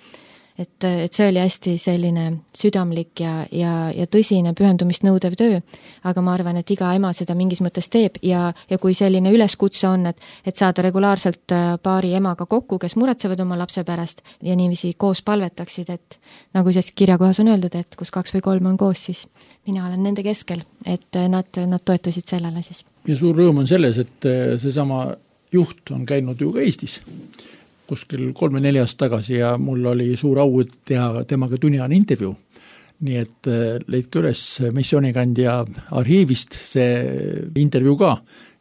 Et see oli hästi selline südamlik ja tõsine pühendumist nõudev töö, aga ma arvan, et iga ema seda mingis mõttes teeb ja kui selline üleskutse on, et saada regulaarselt paari emaga kokku, kes muretsevad oma lapse pärast ja niiviisi koos palvetaksid, et nagu siis kirjakohas on öeldud, et kus 2 või 3 on koos, siis mina olen nende keskel, et nad toetusid sellele siis. Ja suur rõõm on selles, et seesama juht on käinud ju ka Eestis kuskil 3-4 aastat tagasi ja mul oli suur au teha temaga tunniajane intervjuu. Nii et leidke üles Missioonikandja arhiivist see intervjuu ka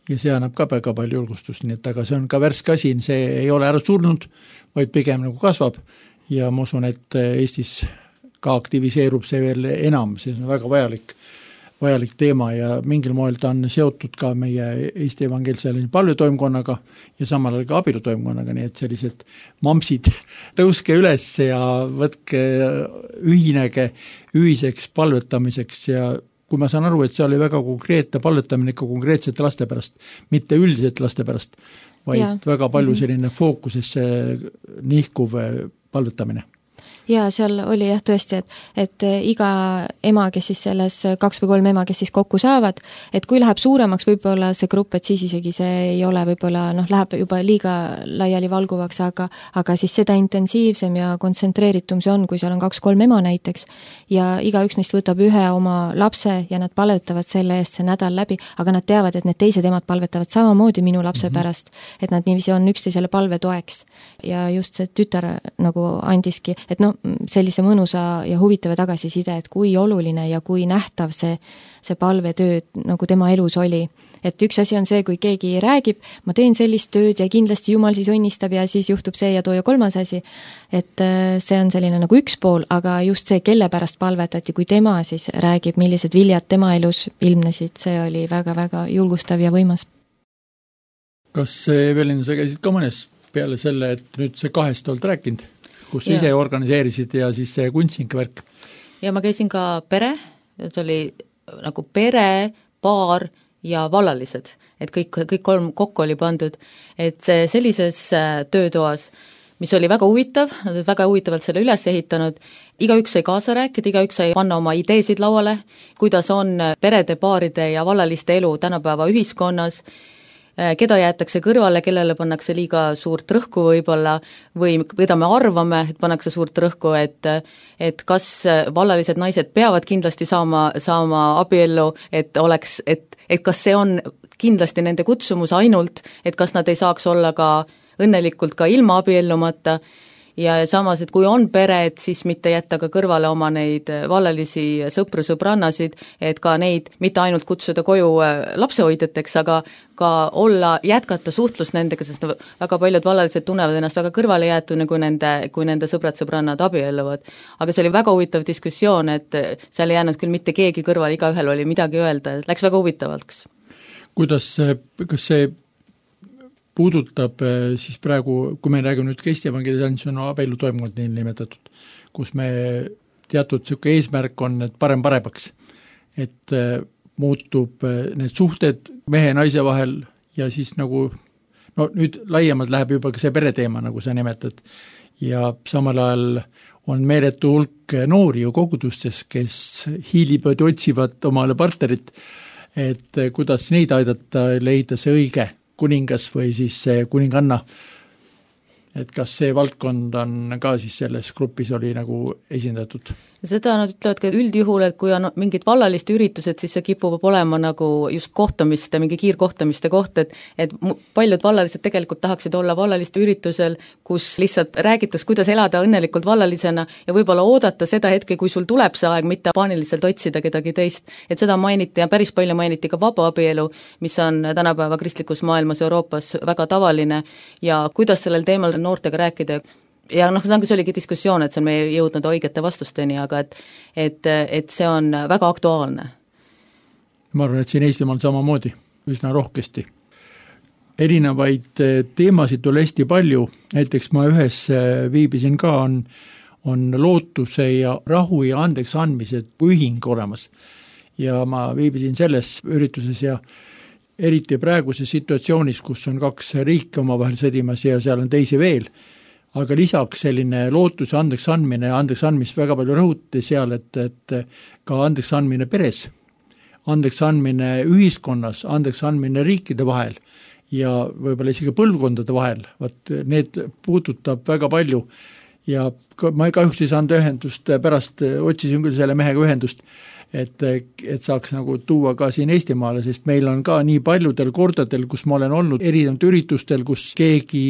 ja see annab ka väga palju julgustust, nii et aga see on ka värske asi, see ei ole ära surnud, vaid pigem nagu kasvab ja ma usun, et Eestis ka aktiviseerub see veel enam, see on väga vajalik teema ja mingil moel ta on seotud ka meie Eesti evangeelse palvetoimkonnaga ja samal ajal ka abielutoimkonnaga, nii et sellised mamsid tõuske üles ja võtke ühinege ühiseks palvetamiseks ja kui ma saan aru, et see oli väga konkreetne palvetamine ikka konkreetsete laste pärast, mitte üldiselt laste pärast, vaid väga palju selline fookusesse nihkuv palvetamine. Ja seal oli jah tõesti, et iga ema, kes siis selles 2 või 3 ema, kes siis kokku saavad, et kui läheb suuremaks võib-olla see grupp, et siis isegi see ei ole võib-olla, läheb juba liiga laiali valguvaks, aga siis seda intensiivsem ja kontsentreeritum see on, kui seal on 2-3 ema näiteks ja igaüks neist võtab ühe oma lapse ja nad palvetavad selle eest see nädal läbi, aga nad teavad, et need teised emad palvetavad samamoodi minu lapse pärast, et nad niiviisi on üksteisele palve toeks ja just see tütar nagu andiski, et sellise mõnusa ja huvitava tagasiside, et kui oluline ja kui nähtav see palvetöö nagu tema elus oli. Et üks asi on see, kui keegi räägib, ma teen sellist tööd ja kindlasti Jumal siis õnnistab ja siis juhtub see ja too ja 3. asi. Et see on selline nagu üks pool, aga just see, kelle pärast palvetati, kui tema siis räägib, millised viljad tema elus ilmnesid, see oli väga-väga julgustav ja võimas. Kas Evelin, sa käisid ka mõnes peale selle, et nüüd see 2 oled rääkinud? Kus ise organiseerisid ja siis see kunstnikvärk? Ja ma käisin ka pere, see oli nagu pere, paar ja vallalised, et kõik 3 kokku oli pandud, et sellises töötoas mis oli väga huvitav, nad olid väga huvitavalt selle üles ehitanud, igaüks sai kaasa rääkida, igaüks sai panna oma ideesid lauale, kuidas on perede, paaride ja vallaliste elu tänapäeva ühiskonnas, keda jäetakse kõrvale, kellele pannakse liiga suurt rõhku võib-olla või keda me arvame, et pannakse suurt rõhku, et kas vallalised naised peavad kindlasti saama abiellu, et kas see on kindlasti nende kutsumus ainult, et kas nad ei saaks olla ka õnnelikult ka ilma abiellumata ja samas, et kui on pere, et siis mitte jätta ka kõrvale oma neid vallalisi sõprannasid, et ka neid mitte ainult kutsuda koju lapsehoidjateks, aga ka jätkata suhtlust nendega, sest väga paljud vallalised tunnevad ennast väga kõrvale jäetuna, kui nende sõbrad-sõbrannad abielluvad. Aga see oli väga huvitav diskussioon, et seal ei jäänud küll mitte keegi kõrvale, igaühel oli midagi öelda, läks väga huvitavaks. Kas see puudutab siis praegu, kui me räägime nüüd Eesti evangelisatsiooni, on abielu toimkond nii nimetatud, kus me teatud niisugune eesmärk on, et paremaks, et muutub need suhted mehe ja naise vahel ja siis nagu, no nüüd laiemalt läheb juba ka see pereteema, nagu sa nimetad, ja samal ajal on meeletu hulk noori ju kogudustes, kes hiilivad ja otsivad omale partnerit, et kuidas neid aidata leida see õige kuningas või siis kuninganna, et kas see valdkond on ka siis selles grupis oli nagu esindatud? Seda nad ütlevad ka üldjuhul, et kui on mingid vallaliste üritused, siis see kipub olema nagu just kohtamiste, mingi kiirkohtamiste koht, et paljud vallalised tegelikult tahaksid olla vallaliste üritusel, kus lihtsalt räägitakse, kuidas elada õnnelikult vallalisena ja võib-olla oodata seda hetke, kui sul tuleb see aeg, mitte paaniliselt otsida kedagi teist. Et seda mainiti ja päris palju mainiti ka vaba abielu, mis on tänapäeva kristlikus maailmas Euroopas väga tavaline ja kuidas sellel teemal noortega rääkida ja see oligi diskussioon, et see on meie jõudnud õigete vastusteni, aga et see on väga aktuaalne. Ma arvan, et siin Eestimaal samamoodi, üsna rohkesti. Erinevaid teemasid oli hästi palju, näiteks ma ühes viibisin ka, on lootuse ja rahu ja andeks andmised ühing olemas. Ja ma viibisin selles ürituses ja eriti praeguses situatsioonis, kus on 2 riiki omavahel sõdimas ja seal on teisi veel, aga lisaks selline lootuse andeks andmist väga palju rõhuti seal, et ka andeks andmine peres, andeks andmine ühiskonnas, andeks andmine riikide vahel ja võib-olla isegi põlvkondade vahel, need puudutab väga palju ja ma kahjuks ei saanud ühendust, pärast otsisin küll selle mehega ühendust, et saaks nagu tuua ka siin Eestimaale, sest meil on ka nii paljudel kordadel, kus ma olen olnud erinevatel üritustel, kus keegi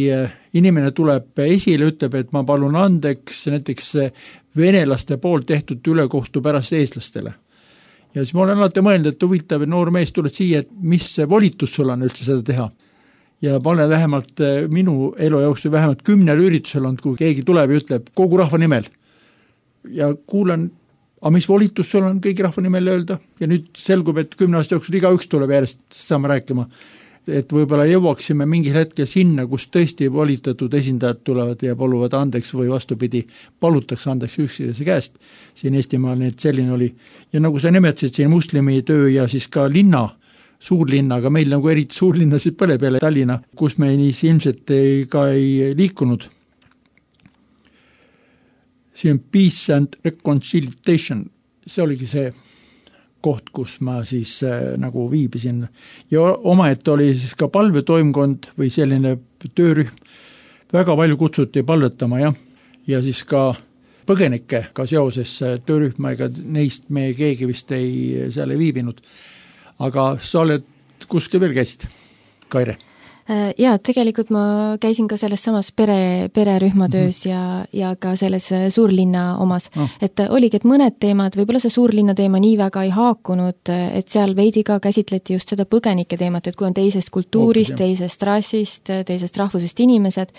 inimene tuleb esile, ütleb, et ma palun andeks näiteks venelaste poolt tehtud ülekohtu pärast eestlastele. Ja siis ma olen alati mõelnud, et huvitav, noor mees tuled siia, et mis volitus sul on üldse seda teha. Ja ma olen vähemalt minu elu jooksul vähemalt 10 üritusel olnud, kui keegi tuleb ja ütleb kogu rahva nimel. Ja kuulan, aga mis volitus sul on kõigi rahva nimel öelda ja nüüd selgub, et 10 aasta jooksul igaüks tuleb järjest saama rääkima, et võib-olla jõuaksime mingil hetkel sinna, kus tõesti volitatud esindajad tulevad ja paluvad andeks või vastupidi, palutakse andeks üksteise käest. Siin Eestimaal need selline oli ja nagu sa nimetasid siin muslimi töö ja siis ka linna, suurlinna, aga meil nagu eriti suurlinnasid põle peale Tallinna, kus me nii ilmselt ei liikunud. See on Peace and Reconciliation, see oligi see koht, kus ma siis nagu viibisin. Ja omaette oli siis ka palvetoimkond või selline töörühm, väga palju kutsuti palvetama ja siis ka põgenikega seoses töörühma, ega neist me keegi vist seal ei viibinud. Aga sa oled kuskil veel käisid, Kaire? Jaa, tegelikult ma käisin ka selles samas pererühma töös ja ka selles suurlinna omas. Et oligi, et mõned teemad, võib-olla see suurlinna teema nii väga ei haakunud, et seal veidi ka käsitleti just seda põgenike teemat, et kui on teisest kultuurist, teisest rassist, teisest rahvusest inimesed,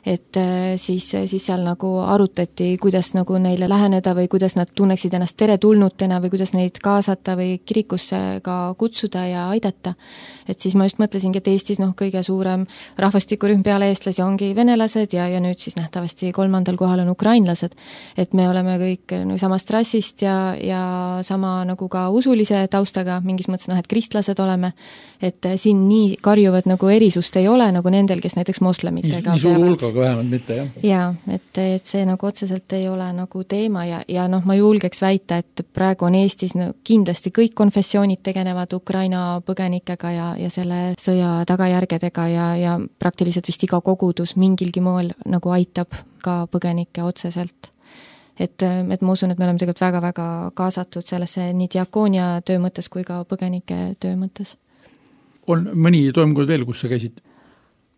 et siis seal nagu arutati, kuidas nagu neile läheneda või kuidas nad tunneksid ennast teretulnutena või kuidas neid kaasata või kirikusse ka kutsuda ja aidata. Et siis ma just mõtlesingi, et Eestis kõige suurem suurem rahvastikurühm peale eestlasi ongi venelased ja nüüd siis nähtavasti 3. kohal on ukrainlased. Et me oleme kõik samast rassist ja sama nagu ka usulise taustaga, mingis mõttes et kristlased oleme, et siin nii karjuvad nagu erisust ei ole nagu nendel, kes näiteks moslemitega nii suur hulgaga vähemalt mitte, jah? Jaa, et see nagu otseselt ei ole nagu teema ja ma julgeks väita, et praegu on Eestis kindlasti kõik konfessioonid tegelevad Ukraina põgenikega ja selle sõja tagajärgedega ja praktiliselt vist iga kogudus mingilgi moel nagu aitab ka põgenikke otseselt. Et ma usun, et me oleme tegelikult väga-väga kaasatud sellesse nii diakoonia töö mõttes kui ka põgenike töö mõttes. On mõni toimkond veel, kus sa käisid?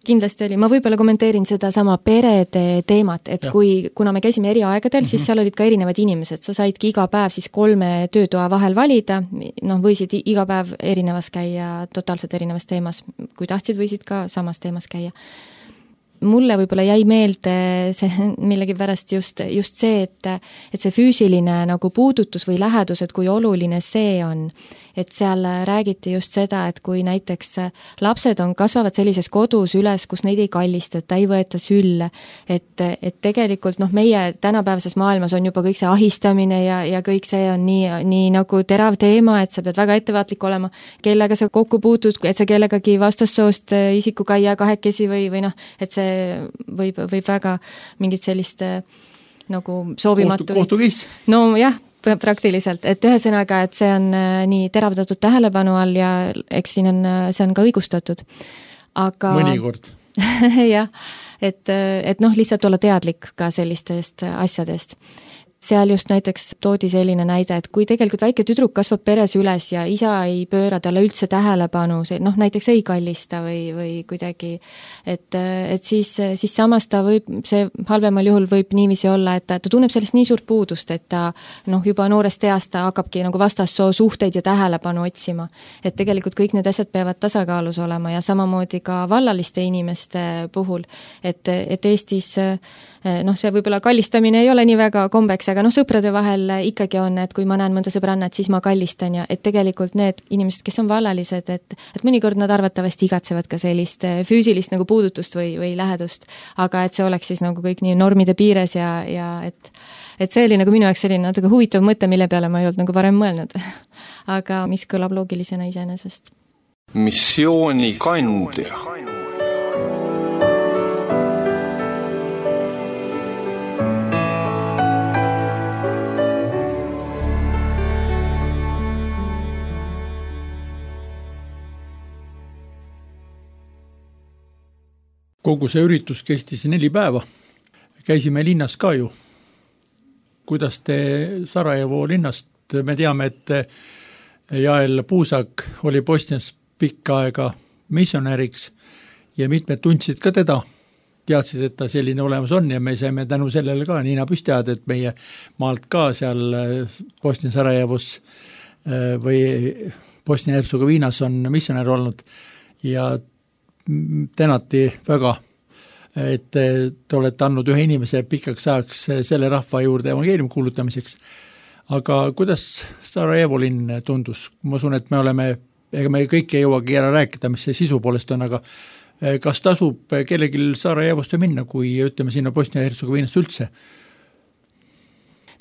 Kindlasti oli, ma võib-olla kommenteerin seda sama perede teemat, et kuna me käisime eri aegadel, siis seal olid ka erinevad inimesed, sa saidki iga päev siis 3 töötoa vahel valida, võisid iga päev erinevas käia, totaalselt erinevas teemas, kui tahtsid, võisid ka samas teemas käia. Mulle võib-olla jäi meelde see millegipärast just see, et see füüsiline nagu puudutus või lähedus, et kui oluline see on, et seal räägiti just seda, et kui näiteks lapsed kasvavad sellises kodus üles, kus neid ei kallistata, ei võeta sülle, et tegelikult meie tänapäevases maailmas on juba kõik see ahistamine ja kõik see on nii nagu terav teema, et sa pead väga ettevaatlik olema, kellega sa kokku puutud, et sa kellegagi vastassoost isikuga ei jää kahekesi või et see võib väga mingit sellist nagu soovimatu kohtukiis? No jah, praktiliselt, et ühesõnaga, et see on nii teravdatud tähelepanu all ja eks see on ka õigustatud. Aga mõnikord. jah, et lihtsalt olla teadlik ka sellistest asjadest. Seal just näiteks toodi selline näide, et kui tegelikult väike tüdruk kasvab peres üles ja isa ei pööra talle üldse tähelepanu, näiteks ei kallista või kuidagi, et siis samas ta see halvemal juhul võib niiviisi olla, et ta tunneb sellest nii suurt puudust, et ta juba noorest east ta hakkabki nagu vastassoo suhteid ja tähelepanu otsima. Et tegelikult kõik need asjad peavad tasakaalus olema ja samamoodi ka vallaliste inimeste puhul, et Eestis see võib-olla kallistamine ei ole nii väga kombeks, aga sõprade vahel ikkagi on, et kui ma näen mõnda sõbrannat, siis ma kallistan ja et tegelikult need inimesed, kes on vallalised, et mõnikord nad arvatavasti igatsevad ka sellist füüsilist nagu puudutust või lähedust, aga et see oleks siis nagu kõik nii normide piires ja et see oli nagu minu jaoks selline natuke huvitav mõte, mille peale ma ei olnud nagu varem mõelnud. Aga mis kõlab loogilisena iseenesest. Missioonikandja. Kogu see üritus kestis 4 päeva. Käisime linnas ka ju. Kuidas te Sarajevo linnast, me teame, et Jael Puusak oli Bosnias pikka aega missionäriks ja mitmed tundsid ka teda. Teadsid, et ta selline olemas on ja me saime tänu sellele ka Niina püstiad, et meie maalt ka seal Bosnia Sarajevos või Bosnia-Hertsegoviinas on missionär olnud ja tänati väga, et te olete andnud ühe inimese pikaks ajaks selle rahva juurde evangeeliumi kuulutamiseks. Aga kuidas Sarajevo linn tundus? Ma usun, et ega me kõik ei jõuagi ära rääkida, mis see sisu poolest on, aga kas tasub kellelgi Sarajevosse minna, kui ütleme sinna Bosnia-Hertsegoviinas üldse?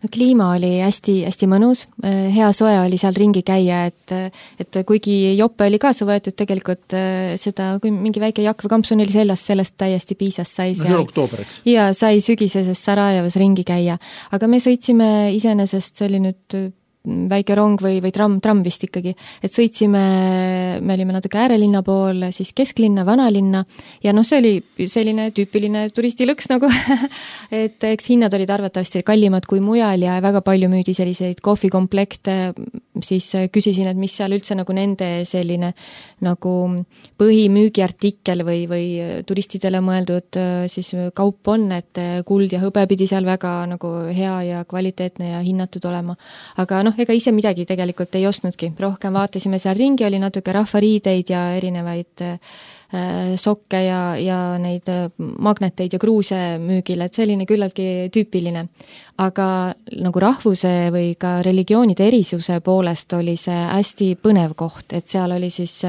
No, kliima oli hästi mõnus, hea soe oli seal ringi käia, et kuigi jope oli kaasa võetud tegelikult seda, kui mingi väike jakk või kampsun oli sellest täiesti piisas, sai seal. No, oktoober, eks? Ja sai sügiseses Sarajevos ringi käia, aga me sõitsime iseenesest, see oli nüüd väike rong või tramm vist ikkagi, et sõitsime, me olime natuke äärelinna pool, siis kesklinna, vanalinna ja see oli selline tüüpiline turistilõks nagu, et eks hinnad olid arvatavasti kallimad kui mujal ja väga palju müüdi selliseid kohvikomplekte, siis küsisin, et mis seal üldse nagu nende selline nagu põhimüügiartikkel või turistidele mõeldud siis kaup on, et kuld ja hõbe pidi seal väga nagu hea ja kvaliteetne ja hinnatud olema, aga ega ise midagi tegelikult ei ostnudki. Rohkem vaatasime seal ringi, oli natuke rahvariideid ja erinevaid sokke ja neid magneteid ja kruuse müügil, et selline küllaltki tüüpiline. Aga nagu rahvuse või ka religioonide erisuse poolest oli see hästi põnev koht, et seal oli siis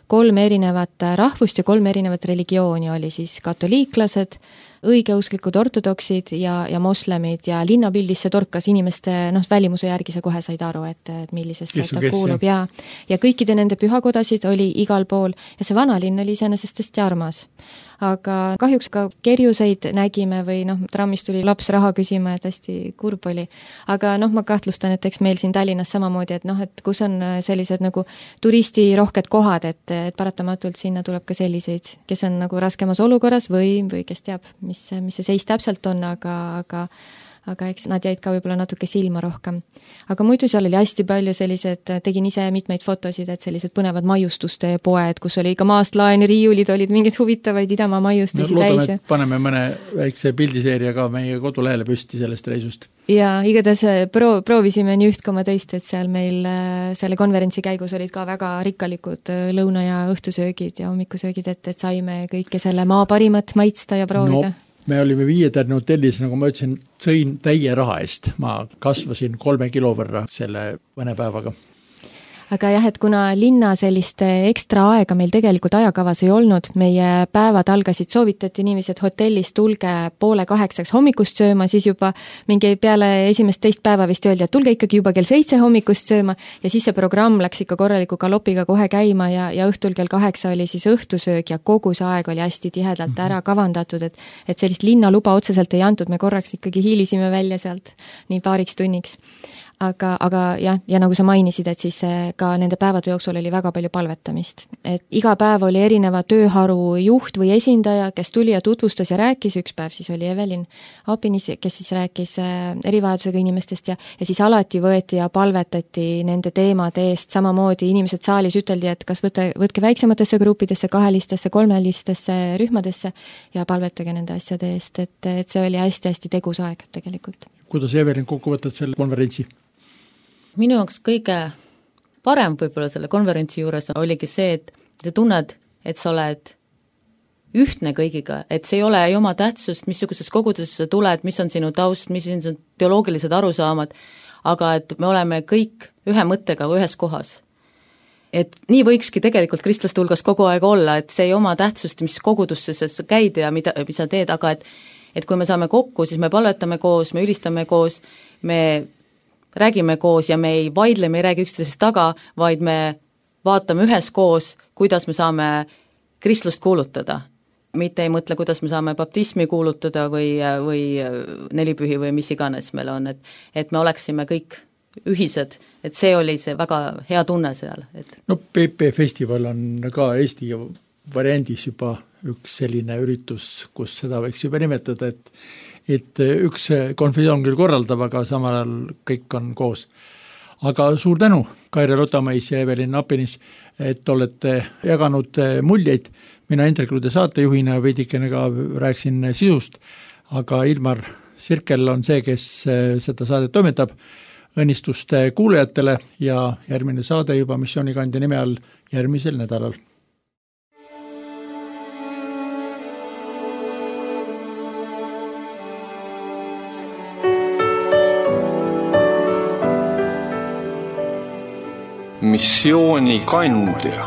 3 erinevat rahvust ja 3 erinevat religiooni, oli siis katoliiklased, õigeusklikud ortodoksid ja moslemid ja linnapildis see torkas inimeste välimuse järgi, sa kohe said aru, et millisesse ta kuulub ja kõikide nende pühakodasid oli igal pool ja see vanalinn oli iseenesest hästi armas. Aga kahjuks ka kerjuseid nägime või trammis tuli laps raha küsima, et hästi kurb oli. Aga ma kahtlustan, et eks meil siin Tallinnas samamoodi, et kus on sellised nagu turistirohked kohad, et paratamatult sinna tuleb ka selliseid, kes on nagu raskemas olukorras või kes teab, mis see seis täpselt on, aga eks nad jäid ka võib-olla natuke silma rohkem. Aga muidu seal oli hästi palju sellised, tegin ise mitmeid fotosid, et sellised põnevad maiustuste poed, kus oli ka maast laeni riiulid, olid mingeid huvitavaid Idamaa maiustusi täis. Et paneme mõne väikse pildiseeria ka meie kodulehele püsti sellest reisust. Ja igatahes proovisime nii üht koma teist, et seal meil selle konverentsi käigus olid ka väga rikkalikud lõuna- ja õhtusöögid ja hommikusöögid, et saime kõike selle maa parimat maitsta ja proovida. Me olime 5-tärni hotellis, nagu ma ütlesin, sõin täie raha eest. Ma kasvasin 3 kilo võrra selle mõne päevaga. Aga jah, et kuna linna sellist ekstra aega meil tegelikult ajakavas ei olnud, meie päevad algasid, soovitati niiviisi, et hotellis tulge 7:30 hommikust sööma, siis juba mingi peale esimest teist päeva vist öeldi, et tulge ikkagi juba kell 7 hommikust sööma ja siis see programm läks ikka korraliku galopiga kohe käima ja õhtul kell 8 oli siis õhtusöög ja kogu see aeg oli hästi tihedalt ära kavandatud, et sellist linnaluba otseselt ei antud, me korraks ikkagi hiilisime välja sealt nii paariks tunniks. Aga jah, ja nagu sa mainisid, et siis ka nende päevade jooksul oli väga palju palvetamist. Et iga päev oli erineva tööharu juht või esindaja, kes tuli ja tutvustas ja rääkis, üks päev siis oli Evelin Apinis, kes siis rääkis erivajadusega inimestest ja siis alati võeti ja palvetati nende teemade eest, samamoodi inimesed saalis üteldi, et kas võtke väiksematesse gruppidesse, 2-listesse, 3-listesse rühmadesse ja palvetage nende asjade eest, et see oli hästi-hästi tegus aeg tegelikult. Kuidas Evelin kokku võtad selle konverentsi? Minu jaoks kõige parem võib-olla selle konverentsi juures oligi see, et te tunned, et sa oled ühtne kõigiga, et see ei ole ju oma tähtsust, missuguses kogudusesse sa tuled, mis on sinu taust, mis on sinu teoloogilised arusaamad, aga et me oleme kõik ühe mõttega ühes kohas. Et nii võikski tegelikult kristlaste hulgas kogu aeg olla, et see ei oma tähtsust, mis kogudusse sa käid ja mida sa teed, aga et kui me saame kokku, siis me palvetame koos, me ülistame koos, me räägime koos ja me ei vaidle, me ei räägi üksteisest taga, vaid me vaatame üheskoos, kuidas me saame kristlust kuulutada. Mitte ei mõtle, kuidas me saame baptismi kuulutada või nelipühi või mis iganes meil on, et me oleksime kõik ühised, et see oli see väga hea tunne seal. No PP Festival on ka Eesti variandis juba üks selline üritus, kus seda võiks juba nimetada, et üks konfessioon küll korraldab, aga samal ajal kõik on koos. Aga suur tänu, Kaire Lotamais ja Evelin Apinis, et olete jaganud muljeid. Mina Indrek Lude saatejuhina veidikene ka rääksin sisust, aga Ilmar Sirkel on see, kes seda saadet toimetab. Õnnistust kuulajatele ja järgmine saade juba missioonikandja nime all järgmisel nädalal. Missioonikandja.